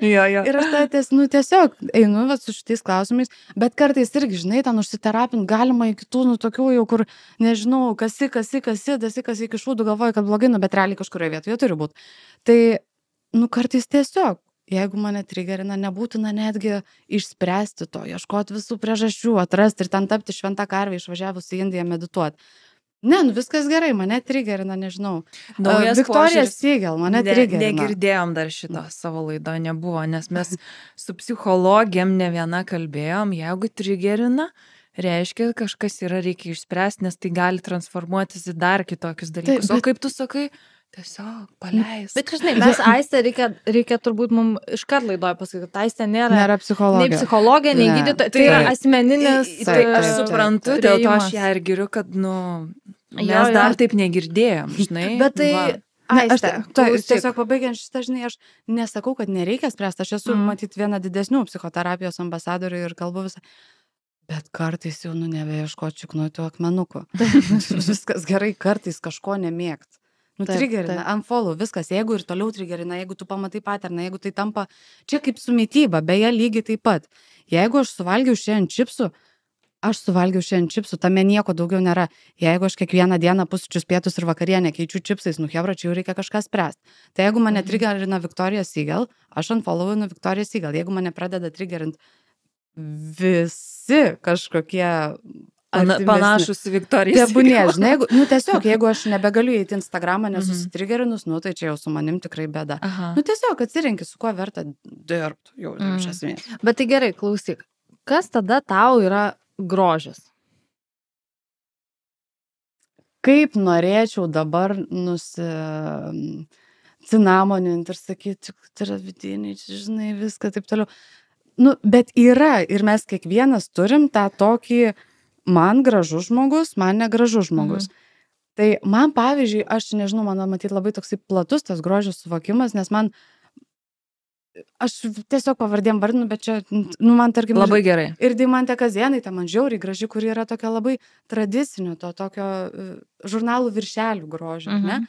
Jo, jo. Ir aš tada tiesiog einu vat, su šitais klausimais, bet kartais irgi, žinai, ten užsiterapint galima iki tų, nu, tokių jau, kur, nežinau, kasi iki šūdų galvoju, kad blogai, nu, bet realiai kažkurioje vietoje turi būti. Tai, nu, kartais tiesiog, jeigu mane trigerina, nebūtina netgi išspręsti to, ieškoti visų priežasčių, atrasti ir ten tapti šventą karvę išvažiavus į Indiją medituoti. Ne, nu viskas gerai, mane trigerina, nežinau. Naujas Viktorija požiūris. Siegel, mane trigerina. Negirdėjom dar šito savo laido, nebuvo, nes mes su psichologėm ne viena kalbėjom, jeigu trigerina, reiškia, kažkas yra reikia išspręsti, nes tai gali transformuotis į dar kitokius dalykus. Taip, O kaip tu sakai, tiesiog paleis. Bet, žinai, mes Aistė reikia turbūt mums iškart laidoje pasakyti, kad Aistė nėra Nėra psichologija. nei psichologė, nei Ne. gydytoja. Tai yra Taip. asmeninis... Tai aš taip, suprantu, taip. dėl to aš priėjimas. ją ir giriu, kad, nu, mes Jo, jo. dar taip negirdėjom, žinai. Bet tai... Va. Ne, aš Aistė, tai tiesiog pabaigiant šitą, žinai, aš nesakau, kad nereikia spręsti, aš esu matyti viena didesnių psichoterapijos ambasadorių ir kalbu visą. Bet kartais jau, nu, nebeieškoti čiknuotų akmenukų. Viskas gerai, kartais kažko nemėgt. Nu, Taip, trigerina, taip. unfollow, viskas, jeigu ir toliau trigerina, jeigu tu pamatai paterną, jeigu tai tampa, čia kaip su mityba, beje, lygiai taip pat. Jeigu aš suvalgiau šiandien čipsų, tame nieko daugiau nėra. Jeigu aš kiekvieną dieną pusryčius, pietus ir vakarienę keičiu čipsais, nu, hebra, čia jau reikia kažką spręsti. Tai jeigu mane trigerina Victoria Siegel, aš unfollowinu Victoria Siegel. Jeigu mane pradeda trigerint visi kažkokie Panašus į Viktoriją. Tebūnie, žinai, nu tiesiog, jeigu aš nebegaliu įeiti Instagramą, nesusitrigerinus, nu tai čia jau su manim tikrai bėda. Aha. Nu tiesiog atsirinkti, su kuo verta dirbti, jau iš esmės. Bet tai gerai, klausyk. Kas tada tau yra grožis? Kaip norėčiau dabar cinamoninti ir sakyti, tai yra vidiniai, čia, žinai, viską taip toliau. Nu, bet yra ir mes kiekvienas turim tą tokį man gražus žmogus, man negražus žmogus. Tai man, pavyzdžiui, aš nežinau, man matyti labai toksai platus tas grožio suvokimas, nes man, aš tiesiog pavardėm vardinu, bet čia, nu, man tarkim... Labai gerai. Ir Deimantė Kazėnaitė, man žiauriai graži, kuri yra tokia labai tradicinio, to tokio žurnalų viršelių grožio, ne?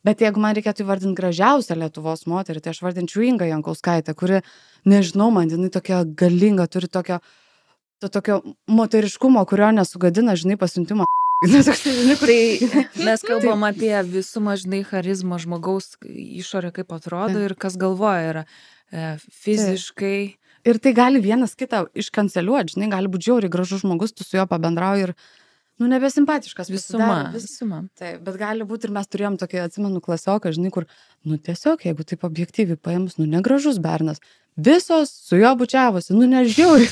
Bet jeigu man reikėtų įvardinti gražiausią Lietuvos moterį, tai aš vardinčiau Ingą Jankauskaitę, kuri, nežinau, man jinai tokia galinga, turi tokio moteriškumo, kurio nesugadina, žinai, pasiuntimo. Tai mes kalbam apie visumą, žinai, charizmą žmogaus išorę, kaip atrodo ir kas galvoja yra fiziškai. Ir tai gali vienas kitą iškanceliuoti, žinai, gali būti žiauriai gražus žmogus, tu su juo pabendrauji ir, nu, nebesimpatiškas. Visuma. Taip, bet gali būti ir mes turėjom tokį, atsimenu, klasioką, žinai, kur, nu, tiesiog, jeigu taip objektyviai paėmus, nu, negražus bernas. Visos su juo bučiavosi, nu, nežiauriai.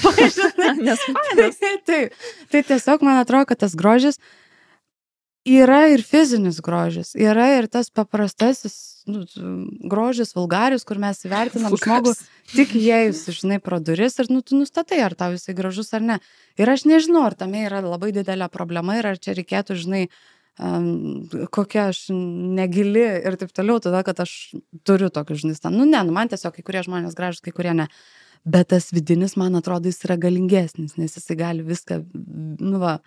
Nes fainas. Taip, tai tiesiog man atrodo, kad tas grožis yra ir fizinis grožis, yra ir tas paprastasis grožis, vulgarius, kur mes įvertinam žmogų tik įėjus, žinai, pro duris ir, nu, tu nustatai, ar tau jisai gražus ar ne. Ir aš nežinau, ar tame yra labai didelė problema ir ar čia reikėtų, žinai, kokia aš negili ir taip toliau, tada, kad aš turiu tokius, žinai, nu, ne, nu, man tiesiog kai kurie žmonės gražus, kai kurie ne. Bet tas vidinis, man atrodo, jis yra galingesnis, nes jisai gali viską, nu, va,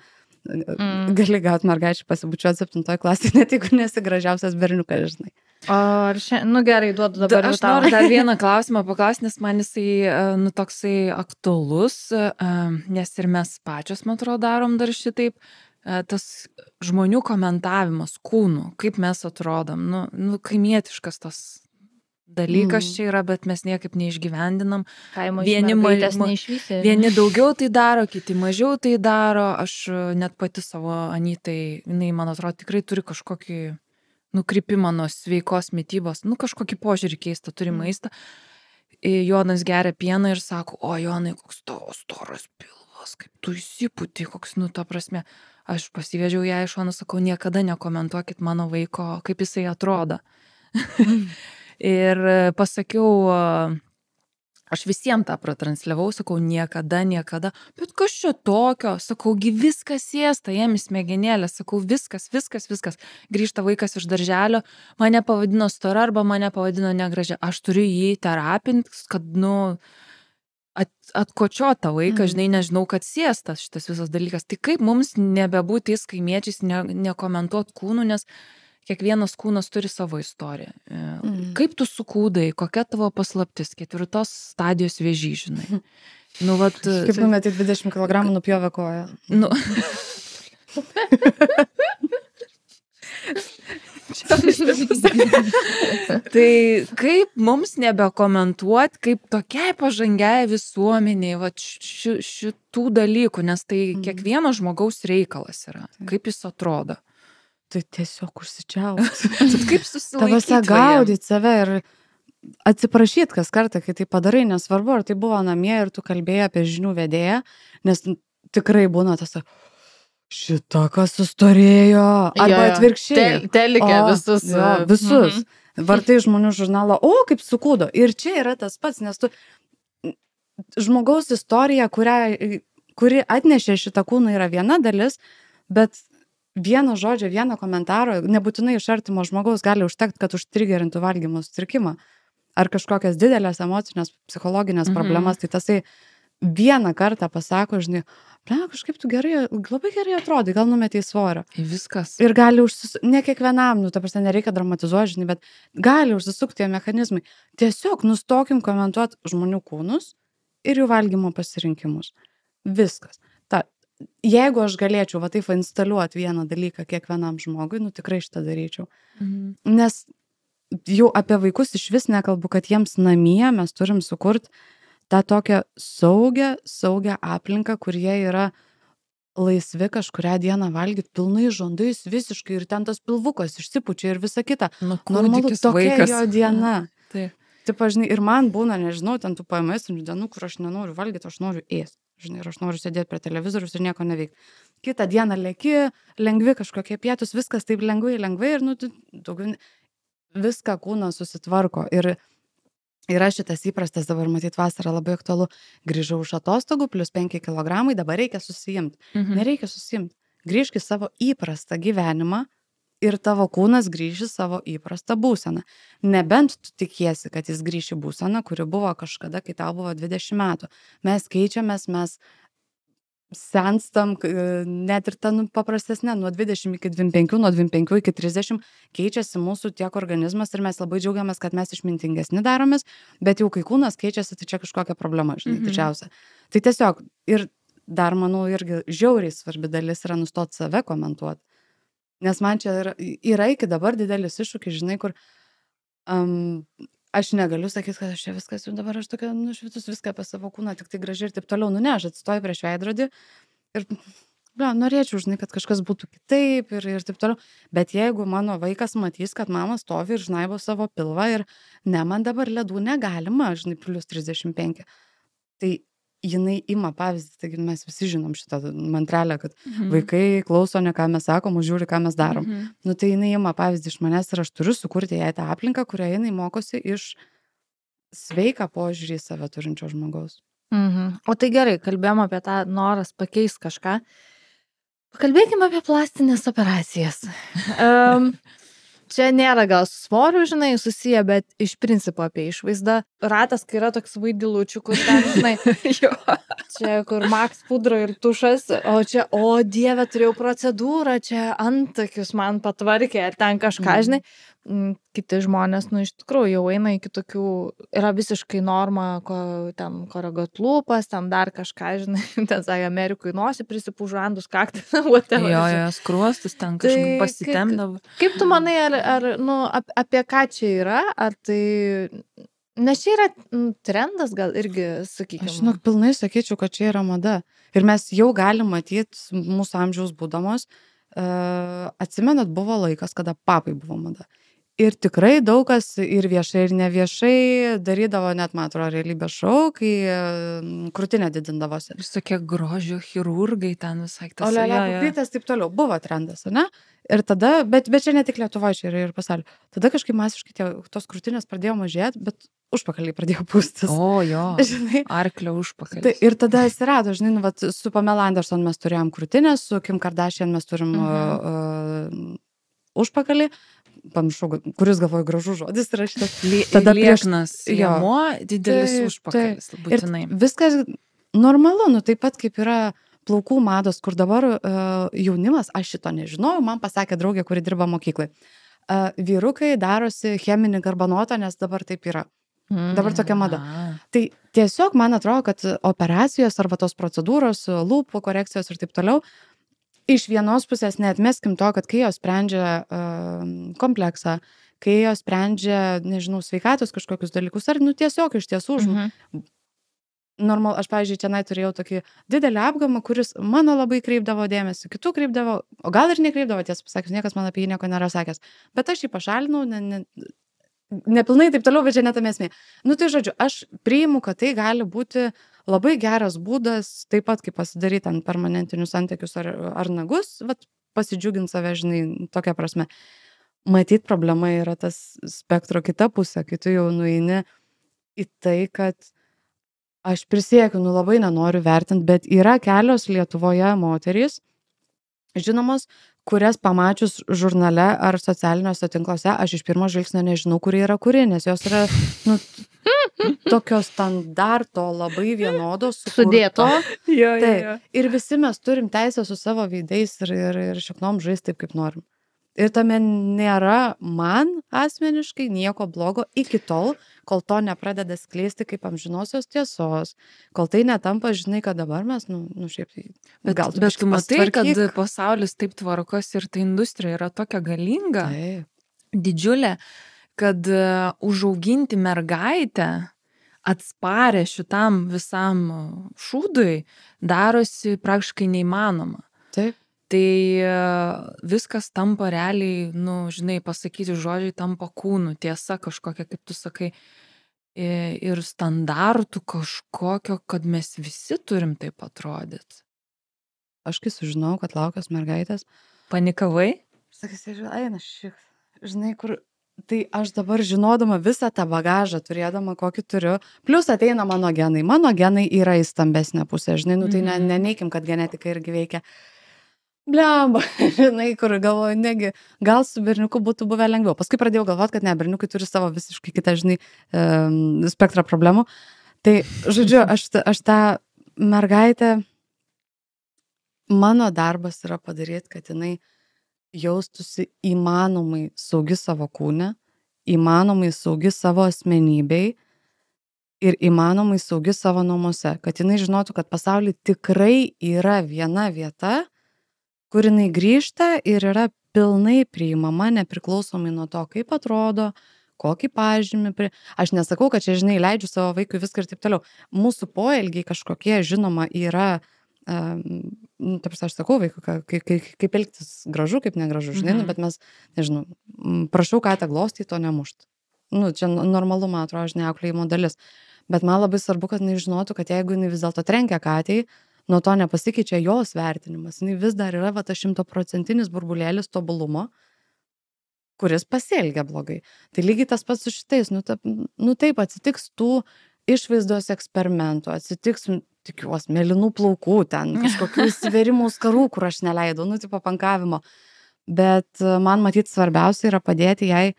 gali gauti mergaičių pasibučiuoti 7 klasėje, net jeigu nesi gražiausias berniukas, žinai. O ar nu gerai, duodu dabar Aš noriu dar vieną klausimą paklausti, nes man jisai, nu, toksai aktualus, nes ir mes pačios, man atrodo, darom dar šitaip, tas žmonių komentavimas kūnų, kaip mes atrodom, nu kaimietiškas tas dalykas čia yra, bet mes niekaip neišgyvendinam. Vieni daugiau tai daro, kiti mažiau tai daro. Aš net pati savo Anytai, jinai, man atrodo, tikrai turi kažkokį nukrypimą nuo sveikos mitybos, nu kažkokį požiūrį keistą turi maistą. Jonas geria pieną ir sako, o Jonai, koks tavo storas pilvas, kaip tu įsipūti, koks, nu, ta prasme. Aš pasivedžiau ją iš šono, sakau, niekada nekomentuokit mano vaiko, kaip jisai atrodo. Ir pasakiau Aš visiems tą pratransliavau, sakau, niekada, bet kas čia tokio, sakau, viskas ėsta, jiem smegenėlė, sakau, viskas. Grįžta vaikas iš darželio, mane pavadino stora arba mane pavadino negražia. Aš turiu jį terapinti, kad, atkočiuot tą vaiką, žinai, nežinau, kad sėstas šitas visas dalykas. Tai kaip mums nebebūti kaimiečiais, nekomentuot kūnų, nes kiekvienas kūnas turi savo istoriją. Kaip tu sukūdai, kokia tavo paslaptis, 4 stadijos vėžys, žinai. Kaip numetė 20 kg nupjovė koją. Tai kaip mums nebekomentuot, kaip tokiai pažangiai visuomeniai šitų dalykų, nes tai kiekvieno žmogaus reikalas yra, kaip jis atrodo. Tai tiesiog užsičiauti. Kaip susilaikyti? Tavose gaudyti save ir atsiprašyti kas kartą, kai tai padarai, nesvarbu, ar tai buvo namie ir tu kalbėjai apie žinių vedėją, nes tikrai būna tas, šita kas sustorėjo, arba atvirkščiai. Telikė visus. Visus. Vartai žmonių žurnalą, kaip sukūdo. Ir čia yra tas pats, nes tu žmogaus istorija, kuri atnešė šitą kūną, yra viena dalis, bet vieno žodžio, vieno komentaro, nebūtinai iš artimo žmogaus gali užtekti, kad užtrigerintų valgymo sutrikimą ar kažkokias didelės emocinės, psichologinės problemas, tai tasai vieną kartą pasako, žinai, kažkaip tu labai gerai atrodai, gal numetei svorio. Viskas. Ir gali ne kiekvienam, ta prasme, nereikia dramatizuoti, žinai, bet gali užsisukti tie mechanizmai. Tiesiog nustokim komentuoti žmonių kūnus ir jų valgymo pasirinkimus. Viskas. Jeigu aš galėčiau taip instaliuoti vieną dalyką kiekvienam žmogui, tikrai šitą daryčiau. Nes jau apie vaikus iš vis nekalbu, kad jiems namie mes turim sukurti tą tokią saugią aplinką, kur jie yra laisvi kažkurią dieną valgyti pilnai žandais visiškai ir ten tas pilvukas išsipučia ir visa kita. Normalu, tokia jo diena. Taip, žinai, ir man būna, nežinau, ten tų PMS dienų, kur aš nenoriu valgyti, aš noriu ėsti. Žinai, ir aš noriu sėdėti prie televizorius ir nieko neveikti. Kitą dieną leki, lengvi kažkokie pietus, viskas taip lengvai ir viską kūnas susitvarko. Ir yra šitas įprastas, dabar matyt vasarą labai aktualu, grįžau iš atostogų, plus 5 kg, dabar reikia susijimti. Nereikia susijimti. Grįžk į savo įprastą gyvenimą ir tavo kūnas grįži savo įprastą būseną. Nebent tu tikiesi, kad jis grįši būseną, kuri buvo kažkada, kai tau buvo 20 metų. Mes keičiamės, mes senstam, net ir ta paprastesnė, nuo 20 iki 25, nuo 25 iki 30 keičiasi mūsų tiek organizmas ir mes labai džiaugiamės, kad mes išmintingesni daromės, bet jau kai kūnas keičiasi, tai čia kažkokia problema, žinai, didžiausia. Tai tiesiog, ir dar, manau, irgi žiauriai svarbi dalis yra nustoti save komentuoti. Nes man čia yra iki dabar didelis iššūkis, žinai, kur aš negaliu sakyti, kad aš čia viskas, jau dabar aš tokia nušvitus viską apie savo kūną, tik tai gražiai ir taip toliau, ne, aš atsistoju prieš veidrodį ir norėčiau, žinai, kad kažkas būtų kitaip ir taip toliau, bet jeigu mano vaikas matys, kad mama stovi ir žnaibo savo pilvą ir ne, man dabar ledų negalima, žinai, plus 35, tai jinai ima pavyzdį, taigi mes visi žinom šitą mantrelę, kad vaikai klauso ne ką mes sakom, o žiūri, ką mes darom. Tai jinai ima pavyzdį iš manęs ir aš turiu sukurti jai tą aplinką, kurioje jinai mokosi iš sveiką požiūrį į save turinčio žmogaus. O tai gerai, kalbėjom apie tą noras pakeisti kažką. Pakalbėkime apie plastinės operacijas. Čia nėra gal su svoriu, žinai, susiję, bet iš principo apie išvaizdą. Ratas, kai yra toks vaidilučių, kur ten, žinai, čia kur Max pudra ir tušas, o čia, o dieve, turėjau procedūrą, čia antakius man patvarkė, ar ten kažką, žinai. Kiti žmonės, iš tikrųjų, jau eina iki tokių, yra visiškai norma, ten koreguot lūpas, ten dar kažką, žinai, ten, sakė, Amerikui nosį prisipūžandus, kaktą, whatever. Jo, skruostus ten kažkaip pasitemdavo. Kaip tu manai, apie ką čia yra, ar tai, nes čia yra trendas, gal irgi, sakykime. Aš, pilnai sakyčiau, kad čia yra mada. Ir mes jau galim matyti mūsų amžiaus būdamos, atsimenat, buvo laikas, kada papai buvo mada. Ir tikrai daug kas ir viešai, ir neviešai darydavo net, man atrodo, realybės šou, kai krūtinė didindavosi. Visokie grožio chirurgai ten visai tas. Olele, pupytės, taip toliau. Buvo trendas, ne? Ir tada, bet čia ne tik Lietuvoje, čia yra ir pasaulio. Tada kažkaip masiškai tos krūtinės pradėjo mažėti, bet užpakaliai pradėjo pūstis. O, jo. Žinai, Arklio užpakalis. tai, ir tada atsirado, žinai, vat, su Pamela Anderson mes turėjom krūtinę, su Kim Kardashian mes turim užpakalį. Pamiršau, kuris galvoju gražus žodis yra šitas. Tada lieknas liemuo, didelis užpakalis, būtinai. Ir viskas normalu, nu taip pat kaip yra plaukų mados, kur dabar jaunimas, aš šito nežinojau, man pasakė draugė, kuri dirba mokyklai. Vyrukai darosi cheminį garbanotą, nes dabar taip yra. Dabar tokia mada. Tai tiesiog man atrodo, kad operacijos arba tos procedūros, lūpų korekcijos ir taip toliau, iš vienos pusės neatmeskim to, kad kai jos sprendžia kompleksą, kai jos sprendžia, nežinau, sveikatos kažkokius dalykus, ar tiesiog iš tiesų normal, aš, pavyzdžiui, tenai turėjau tokį didelį apgamą, kuris mano labai kreipdavo dėmesį, kitų kreipdavo, o gal ir nekreipdavo, tiesą pasakius, niekas man apie jį nieko nėra sakęs, bet aš jį pašalinau, nepilnai taip toliau, bet čia net esmė. Tai žodžiu, aš priimu, kad tai gali būti labai geras būdas, taip pat kaip pasidaryti ant permanentinius santykius ar nagus, pasidžiuginti save, žinai, tokia prasme. Matyt, problema yra tas spektro kita pusė, kai tu jau nueini į tai, kad aš prisiekiu, labai nenoriu vertinti, bet yra kelios Lietuvoje moterys, žinomos, kurias pamačius žurnale ar socialiniuose tinkluose, aš iš pirmo žvilgsnio nežinau, kuri yra kuri, nes jos yra tokio standarto labai vienodos. Sudėto. Ir visi mes turim teisę su savo veidais ir šaknom žaisti taip, kaip norim. Ir tame nėra man asmeniškai nieko blogo iki tol, kol to nepradeda skleisti kaip amžinosios tiesos, kol tai netampa, žinai, kad dabar mes, šiaip tai... Bet tu matai, kad pasaulis taip tvarkos ir ta industrija yra tokia galinga, didžiulė, kad užauginti mergaitę atsparę šitam visam šūdui darosi praktiškai neįmanoma. Taip. Tai viskas tampa realiai, žinai, pasakyti žodžiai tampa kūnų, tiesa kažkokia, kaip tu sakai, ir standartų kažkokio, kad mes visi turim taip atrodyti. Aš kai sužinau, kad laukios mergaitės. Panikavai? Sakysi, žinai, kur... Tai aš dabar žinodama visą tą bagažą, turėdama kokį turiu, plus ateina mano genai. Mano genai yra į stambesnę pusę, žinai, tai neneikim, kad genetika irgi veikia. Blemba, žinai, kur galvoju, negi, gal su berniuku būtų buvę lengviau. Paskui pradėjau galvoti, kad ne, berniukai turi savo visiškai kitą, žinai, spektrą problemų. Tai, žodžiu, aš tą mergaitę, mano darbas yra padaryti, kad jinai jaustųsi įmanomai saugi savo kūne, įmanomai saugi savo asmenybei ir įmanomai saugi savo namuose. Kad jinai žinotų, kad pasaulyje tikrai yra viena vieta, kur jinai grįžta ir yra pilnai priimama, nepriklausomai nuo to, kaip atrodo, kokį pažymį. Aš nesakau, kad čia, žinai, leidžiu savo vaikui viską ir taip toliau. Mūsų poelgiai kažkokie, žinoma, yra, aš sakau vaikui, kaip elgtis gražu, kaip negražu, žinai, bet mes, nežinau, prašau katę glostyti, to nemušti. Čia normalu, man atrodo, žinai, auklėjimo dalis. Bet man labai svarbu, kad jinai žinotų, kad jeigu jinai vis dėlto trenkia katei, nuo to nepasikeičia jos vertinimas. Jis vis dar yra tas 100% burbulėlis tobulumo, kuris pasielgia blogai. Tai lygiai tas pats su šitais. Taip, atsitiks tų išvaizdos eksperimentų, atsitiks, tikiuosi, mėlynų plaukų, ten kažkokių įsiverimų skarų, kur aš neleidau, tipo pankavimo. Bet man matyti svarbiausia yra padėti jai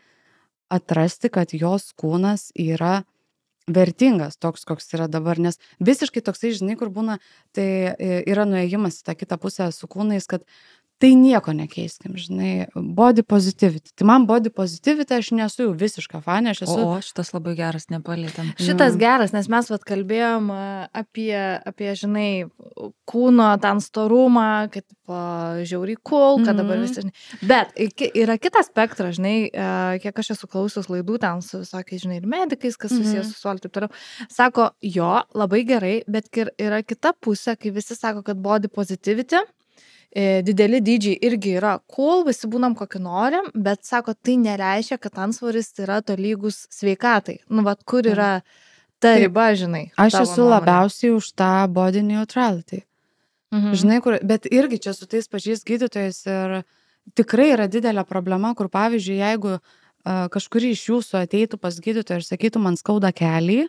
atrasti, kad jos kūnas yra vertingas toks, koks yra dabar, nes visiškai toksai, žinai, kur būna, tai yra nuėjimas į tą kitą pusę su kūnais, kad tai nieko nekeiskim, žinai, body positivity. Tai man body positivity, aš nesu jau visiška fanė, aš esu... O, šitas labai geras, nepalėtėm. Šitas geras, nes mes kalbėjom apie, žinai, kūno ten storumą, kad žiauriai cool, kad dabar visi, žinai. Bet yra kitas spektras, žinai, kiek aš esu klausius laidų ten su visokiais, žinai, ir medikais, kas susijęs su suoliu, taip toliau. Sako, jo, labai gerai, bet yra kita pusė, kai visi sako, kad body positivity dideli dydžiai irgi yra cool, visi būnam kokį norim, bet sako, tai nereiškia, kad antsvoris yra tolygus sveikatai. Nu, vat kur yra ta riba, žinai. Aš esu labiausiai už tą body neutrality. Žinai, bet irgi čia su tais pačiais gydytojais ir tikrai yra didelė problema, kur pavyzdžiui, jeigu kažkuri iš jūsų ateitų pas gydytoją ir sakytų, man skauda kelį,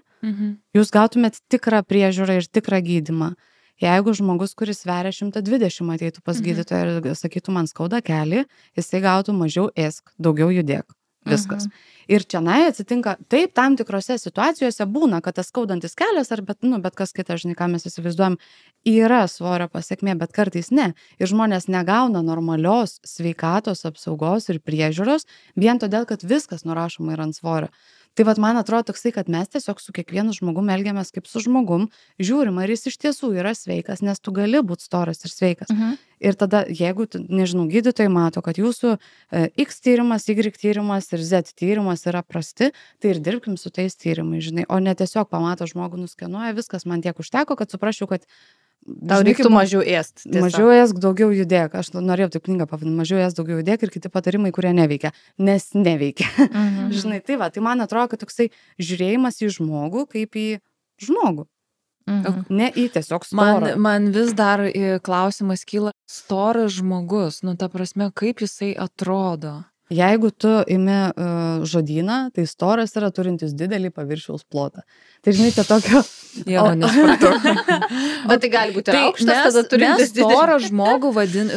jūs gautumėt tikrą priežiūrą ir tikrą gydymą. Jeigu žmogus, kuris sveria 120 ateitų pas gydytoją ir sakytų, man skauda kelį, jisai gautų mažiau ėsk, daugiau judėk. Viskas. Ir čianai atsitinka, taip, tam tikrose situacijose būna, kad tas skaudantis kelias, ar bet kas kitas, žinai, ką mes įsivaizduojam, yra svorio pasiekmė, bet kartais ne. Ir žmonės negauna normalios sveikatos apsaugos ir priežiūros, vien todėl, kad viskas nurašoma yra ant svorio. Tai vat man atrodo toksai, kad mes tiesiog su kiekvienu žmogum elgiamės kaip su žmogum, žiūrim, ar jis iš tiesų yra sveikas, nes tu gali būti storas ir sveikas. Ir tada, jeigu, nežinau, gydytojai mato, kad jūsų X tyrimas, Y tyrimas ir Z tyrimas yra prasti, tai ir dirbkim su tais tyrimais, žinai, o ne tiesiog pamato žmogų, nuskenuoja, viskas man tiek užteko, kad suprasčiau, kad tau reiktų mažiau ėst. Mažiau ėsk, daugiau judėk. Aš norėjau taip knygą pavadinti, mažiau ėsk, daugiau judėk ir kiti patarimai, kurie neveikia, nes neveikia. Žinai, tai va, tai man atrodo, kad toksai žiūrėjimas į žmogų kaip į žmogų. Ne į tiesiog storą. Man vis dar klausimas kyla, storas žmogus, nu ta prasme, kaip jisai atrodo. Jeigu tu imi žodyną, tai storas yra turintis didelį paviršiaus plotą. Tai žinai, tai tokio... Jo, nesupratau. Bet tai gali būti aukštas, tada turintis didelį. Mes storą žmogų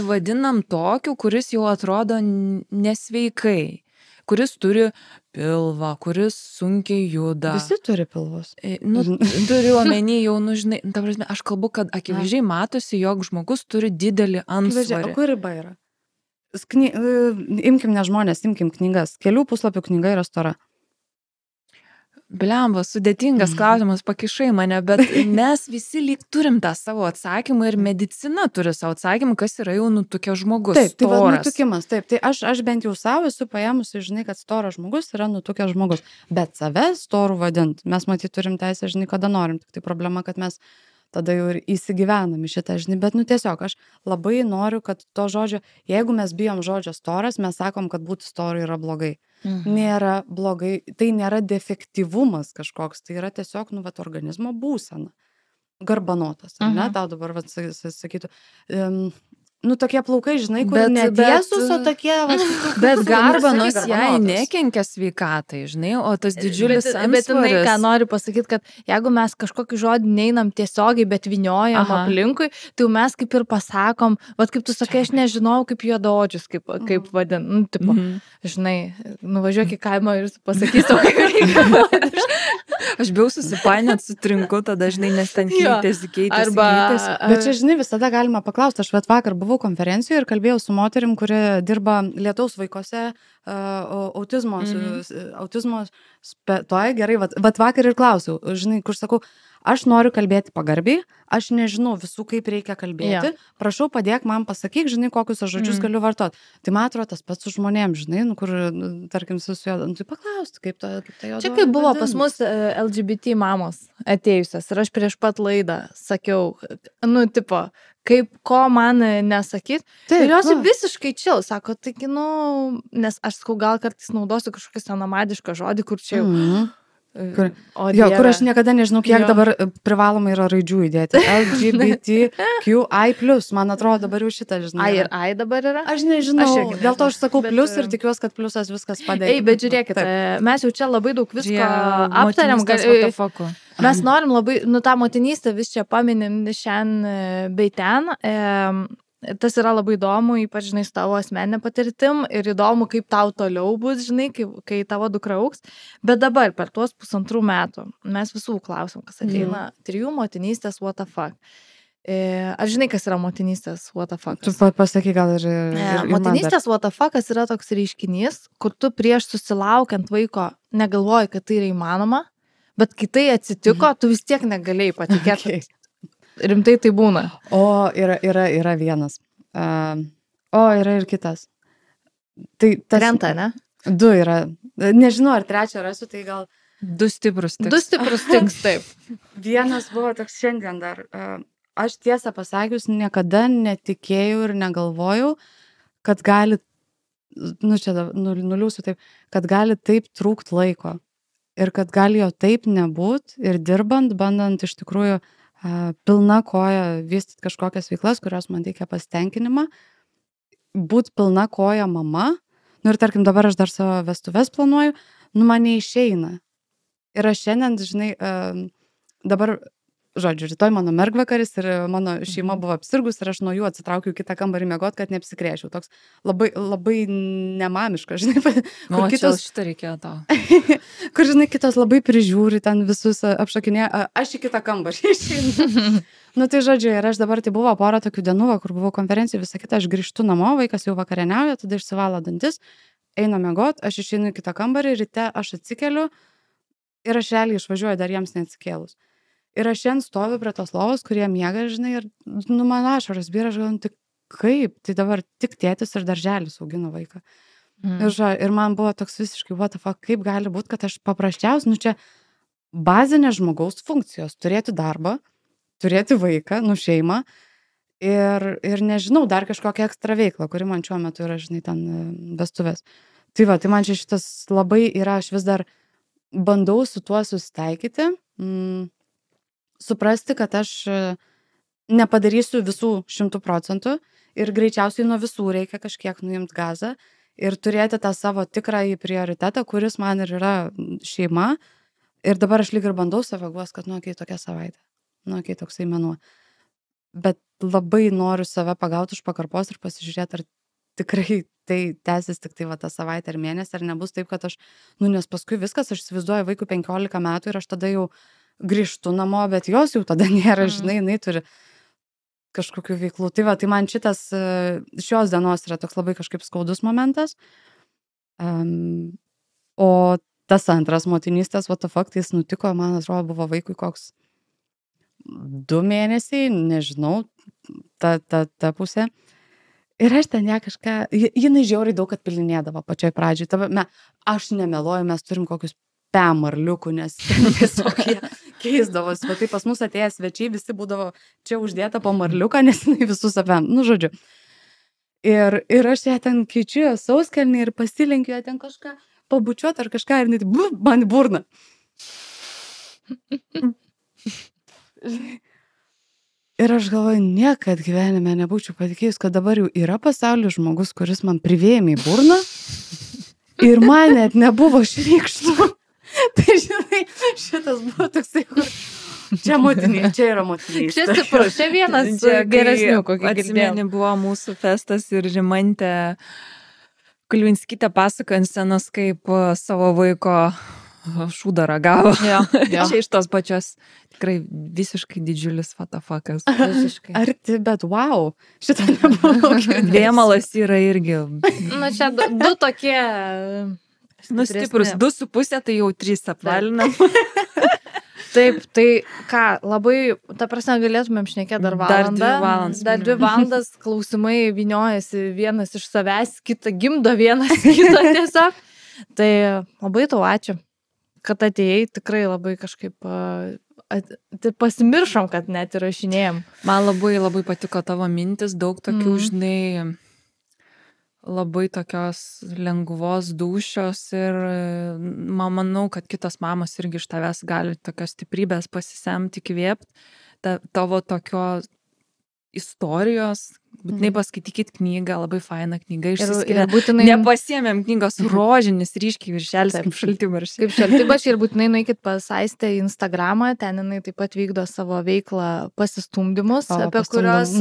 vadinam tokiu, kuris jau atrodo nesveikai. Kuris turi pilvą, kuris sunkiai juda. Visi turi pilvus. Turiu omeny jau, žinai, ta prasme, aš kalbu, kad akivaizdžiai matosi, jog žmogus turi didelį antsvorį. O kur riba yra? Imkim ne žmonės, imkim knygas. Kelių puslapių knyga yra stora. Blemba, sudėtingas klausimas, pakišai mane, bet mes visi lyg turim tą savo atsakymą ir medicina turi savo atsakymą, kas yra jau nutukęs žmogus. Taip, tai va, nutukimas, taip. Tai aš bent jau savo esu paėmusi, žinai, kad storas žmogus yra nutukęs žmogus. Bet save storų vadint, mes matyt turim teisę, žinai, kada norim. Tik tai problema, kad mes tada jau ir įsigyvenam į šitą, žinai, bet tiesiog aš labai noriu, kad to žodžio, jeigu mes bijom žodžio storas, mes sakom, kad būti storu yra blogai. Nėra blogai, tai nėra defektyvumas kažkoks, tai yra tiesiog, organizmo būsena. Garbanotas, ne, tau dabar, sakytų, tokie plaukai, žinai, kur netiesus, o tokie... Bet garbanos jai nekenkia sveikatai, žinai, o tas didžiulis antsvoris. Bet žinai, ką noriu pasakyti, kad jeigu mes kažkokį žodį neinam tiesiogiai, bet vyniojam aplinkui, tai mes kaip ir pasakom, kaip tu sakai, aš nežinau, kaip juodaodžius, kaip vadin, tipo, žinai, nuvažiuok į kaimą ir pasakysiu, kaip reikia. Aš bijau susipainiot su trinku, tada, žinai, nes ten keitėsi. Bet čia, žinai, visada galima paklausti, aš vakar buvau konferencijoje ir kalbėjau su moterim, kuri dirba lietaus vaikose autizmo, gerai, vakar ir klausiau, žinai, kur sakau, aš noriu kalbėti pagarbiai, aš nežinau visų, kaip reikia kalbėti, prašau padėk man pasakyk, žinai, kokius aš žodžius galiu vartoti. Tai man atrodo tas pats su žmonėm, žinai, kur, tarkim, susijuodam, tai paklausti, kaip ta jo. Čia kaip buvo pas mus LGBT mamos atėjusios ir aš prieš pat laidą sakiau, tipo, kaip ko man nesakyt. Ir jos visiškai čil, sako, taigi, nes aš sakau, gal kartais naudosiu kažkokį senamadišką žodį, kur čia jau... Kur aš niekada nežinau, kiek dabar privaloma yra raidžių įdėti. LGBTQI+, man atrodo dabar jau šitą, žinai. Ir I dabar yra? Aš nežinau, dėl to aš sakau plus ir tikiuosi, kad plusas viskas padėjo. Bet žiūrėkit, mes jau čia labai daug visko aptariam. Mes norim labai, tą motinystę vis čia paminim šiandien bei ten. Tas yra labai įdomu, ypač, žinai, su tavo asmeninė patirtim ir įdomu, kaip tau toliau bus, žinai, kai tavo dukra augs. Bet dabar, per tuos 1,5 metų, mes visų klausim, kas ateina, 3 motinystės, what the fuck. Ar žinai, kas yra motinystės, what the fuck? Tu pasaky gal ir motinystės, what the fuck yra toks reiškinys, kur tu prieš susilaukiant vaiko negalvoji, kad tai yra įmanoma, bet kai tai atsitiko, tu vis tiek negalėjai patikėti. Rimtai tai būna. Yra vienas. Yra ir kitas. Tai krenta, ne? 2 yra. Nežinau, ar 3 rasiu, tai gal... 2 stiprus tiks. 2 stiprus tiks, taip. Vienas buvo toks šiandien dar. aš tiesą pasakius niekada netikėjau ir negalvojau, kad gali, nuliūsiu taip, kad gali taip trūkt laiko. Ir kad gali jo taip nebūt ir dirbant, bandant iš tikrųjų pilna koja vystyti kažkokias veiklas, kurios man teikia pasitenkinimą, būt pilna koja mama, ir tarkim dabar aš dar savo vestuves planuoju, man neišeina. Ir aš šiandien, žinai, dabar, žodžiu, rytoj mano mergvakaris ir mano šeima buvo apsirgus ir aš nuo jų atsitraukiau kitą kambarį miegot, kad neapsikrėšiau. Toks labai, labai nemamiška, žinai. O kitos šitą reikėjo tau. Kur, žinai, kitos labai prižiūri, ten visus apšakinė, aš į kitą kambarį išeinu. Tai žodžiu, ir aš dabar tai buvo porą tokių dienų, kur buvau konferencijų, visą kitą, aš grįžtu namo, vaikas jau vakarieniauja, tada išsivalo dantis, eina miegot, aš išeinu į kitą kambarį, ryte aš atsikeliu ir aš realiai išvažiuoju dar jiems neatsikėlus. Ir aš šiandien stoviu prie tos lovos, kurie miega, žinai, ir man ašaras byra, aš galvoju, tai kaip, tai dabar tik tėtis ir darželis augino vaiką. Ir man buvo toks visiškai, what the fuck, kaip gali būti, kad aš paprasčiausiai, čia bazinė žmogaus funkcijos, turėti darbą, turėti vaiką, šeimą ir nežinau, dar kažkokią ekstra veiklą, kuri man šiuo metu yra, žinai, ten vestuvės. Tai man čia šitas labai yra, aš vis dar bandau su tuo susitaikyti, suprasti, kad aš nepadarysiu visų 100% ir greičiausiai nuo visų reikia kažkiek nuimti gazą ir turėti tą savo tikrąjį prioritetą, kuris man ir yra šeima. Ir dabar aš lyg ir bandau save guos, kad okei, tokia savaitė, okei, toksai mėnuo. Bet labai noriu save pagauti už pakarpos ir pasižiūrėti, ar tikrai tai tęsis tik tai tą savaitę ar mėnesį, ar nebus taip, kad aš, nes paskui viskas, aš įsivaizduoju vaikų 15 metų ir aš tada jau grįžtu namo, bet jos jau tada nėra, žinai, jinai turi kažkokių veiklų. Tai man šitas šios dienos yra toks labai kažkaip skaudus momentas. O tas antras motinystės, what the fuck, tai jis nutiko, man atrodo, buvo vaikui koks 2 mėnesiai, nežinau, ta pusė. Ir aš ten ją kažką, jinai žiauriai daug atpilinėdavo pačioj pradžioj. Aš nemeluoju, mes turim kokius pemarliukų, nes tiesiog jie keisdavosi. Tai pas mus atėję svečiai, visi būdavo čia uždėta po marliuką, nes jinai visus apėm. Žodžiu. Ir aš ją ten keičiu sauskelnį ir pasilenkiu ją ten kažką pabučiuoti ar kažką ir net man į burną. Ir aš galvoju, niekad gyvenime nebūčiau patikėjus, kad dabar jau yra pasaulyje žmogus, kuris man privėmė į burną ir man net nebuvo šrykštų. Tai žinai, šitas buvo toksai, kur čia motinė, čia yra motinė. Čia stiprus, čia vienas geresnių, kokį atsimeni, buvo mūsų festas ir Rimantė Kulvinskytė pasakojo ant scenos, kaip savo vaiko šūdą ragavo. Čia iš tos pačios tikrai visiškai didžiulis fatafakas. Arti, bet wow, šitą nebuvo. Vėmalas yra irgi. Čia 2 tokie... Stiprus 2,5, tai jau 3 apvalina. Taip, tai ką, labai, ta prasme, galėtumėm šnekėti dar valandą. Dar 2 valandas klausimai vyniojasi vienas iš savęs, kitą gimdo vienas kitą tiesiog. Tai labai tau ačiū, kad atėjai, tikrai labai kažkaip pasimiršom, kad net įrašinėjom. Man labai labai patiko tavo mintis, daug tokių, žinai, labai tokios lengvos dūšios ir manau, kad kitos mamos irgi iš tavęs gali tokios stiprybės pasisemti, įkvėpti. Tavo tokio istorijos, būtinai paskaitykit knygą, labai faina knyga išsiskiria. Būtinai... Nepasiėmėm knygos rožinis, ryškiai viršelis, kaip šaltibarščiai. Kaip šaltibarščiai ir būtinai nueikit pas Aistę į Instagramą, ten jinai taip pat vykdo savo veiklą pasistumdymus, apie kurios,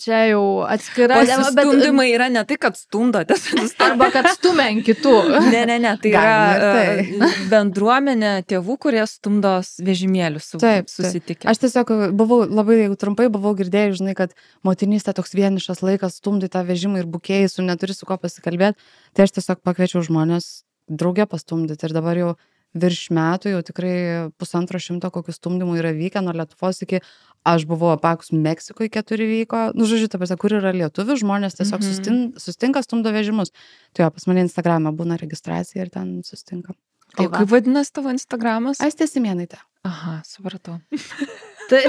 čia jau atskira. Pasistumdymai yra ne tai, kad stumdotės. Arba kad stumia ant kitų. Ne, tai yra bendruomenė tėvų, kurie stumdos vežimėlius susitikę. Aš tiesiog buvau labai, jeigu trumpai buvau girdėjus, žinai, kad motinystė toks vienišas laikas, stumdai tą vežimą ir bukėjai, neturi su ko pasikalbėti, tai aš tiesiog pakviečiau žmonės draugę pastumdyti ir dabar jau virš metų, jau tikrai 150 kokių stumdymų yra vykę, nuo Lietuvos iki, aš buvau apakus Meksikoje 4 vyko, žodžiu, ta prasme, kur yra lietuvių, žmonės tiesiog sustinka, stumdo vežimus. Tai pas mane Instagram'e būna registracija ir ten sustinka. O kaip vadinasi tavo Instagramas? Aistė Simėnaitė. Aha, supratau. Tai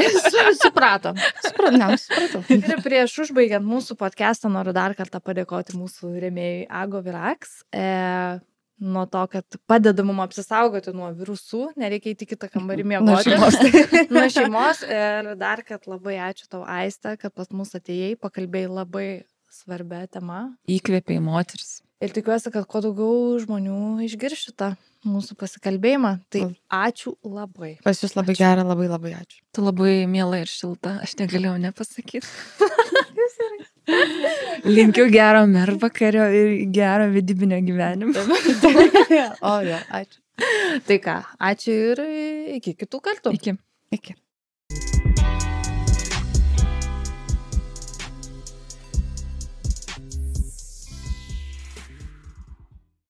supratom. Supratau. Ir prieš užbaigiant mūsų podcastą noriu dar kartą padėkoti mūsų rėmėjai Ago Virax. Nuo to, kad padeda mum apsisaugoti nuo virusų, nereikia įti kitą kambarį miegoti. Nuo šeimos. Ir dar, kad labai ačiū tau, Aiste, kad pas mus atėjai, pakalbėjai labai svarbia tema. Įkvėpiai moteris. Ir tikiuosi, kad kuo daugiau žmonių išgirs šitą mūsų pasikalbėjimą. Tai ačiū labai. Pas jūs labai gera, labai labai ačiū. Tu labai miela ir šilta, aš negalėjau nepasakyti. Linkiu gero mervakario ir gero vedybinio gyvenimo. O jo, ačiū. Tai ką, ačiū ir iki kitų kartų. Iki. Iki.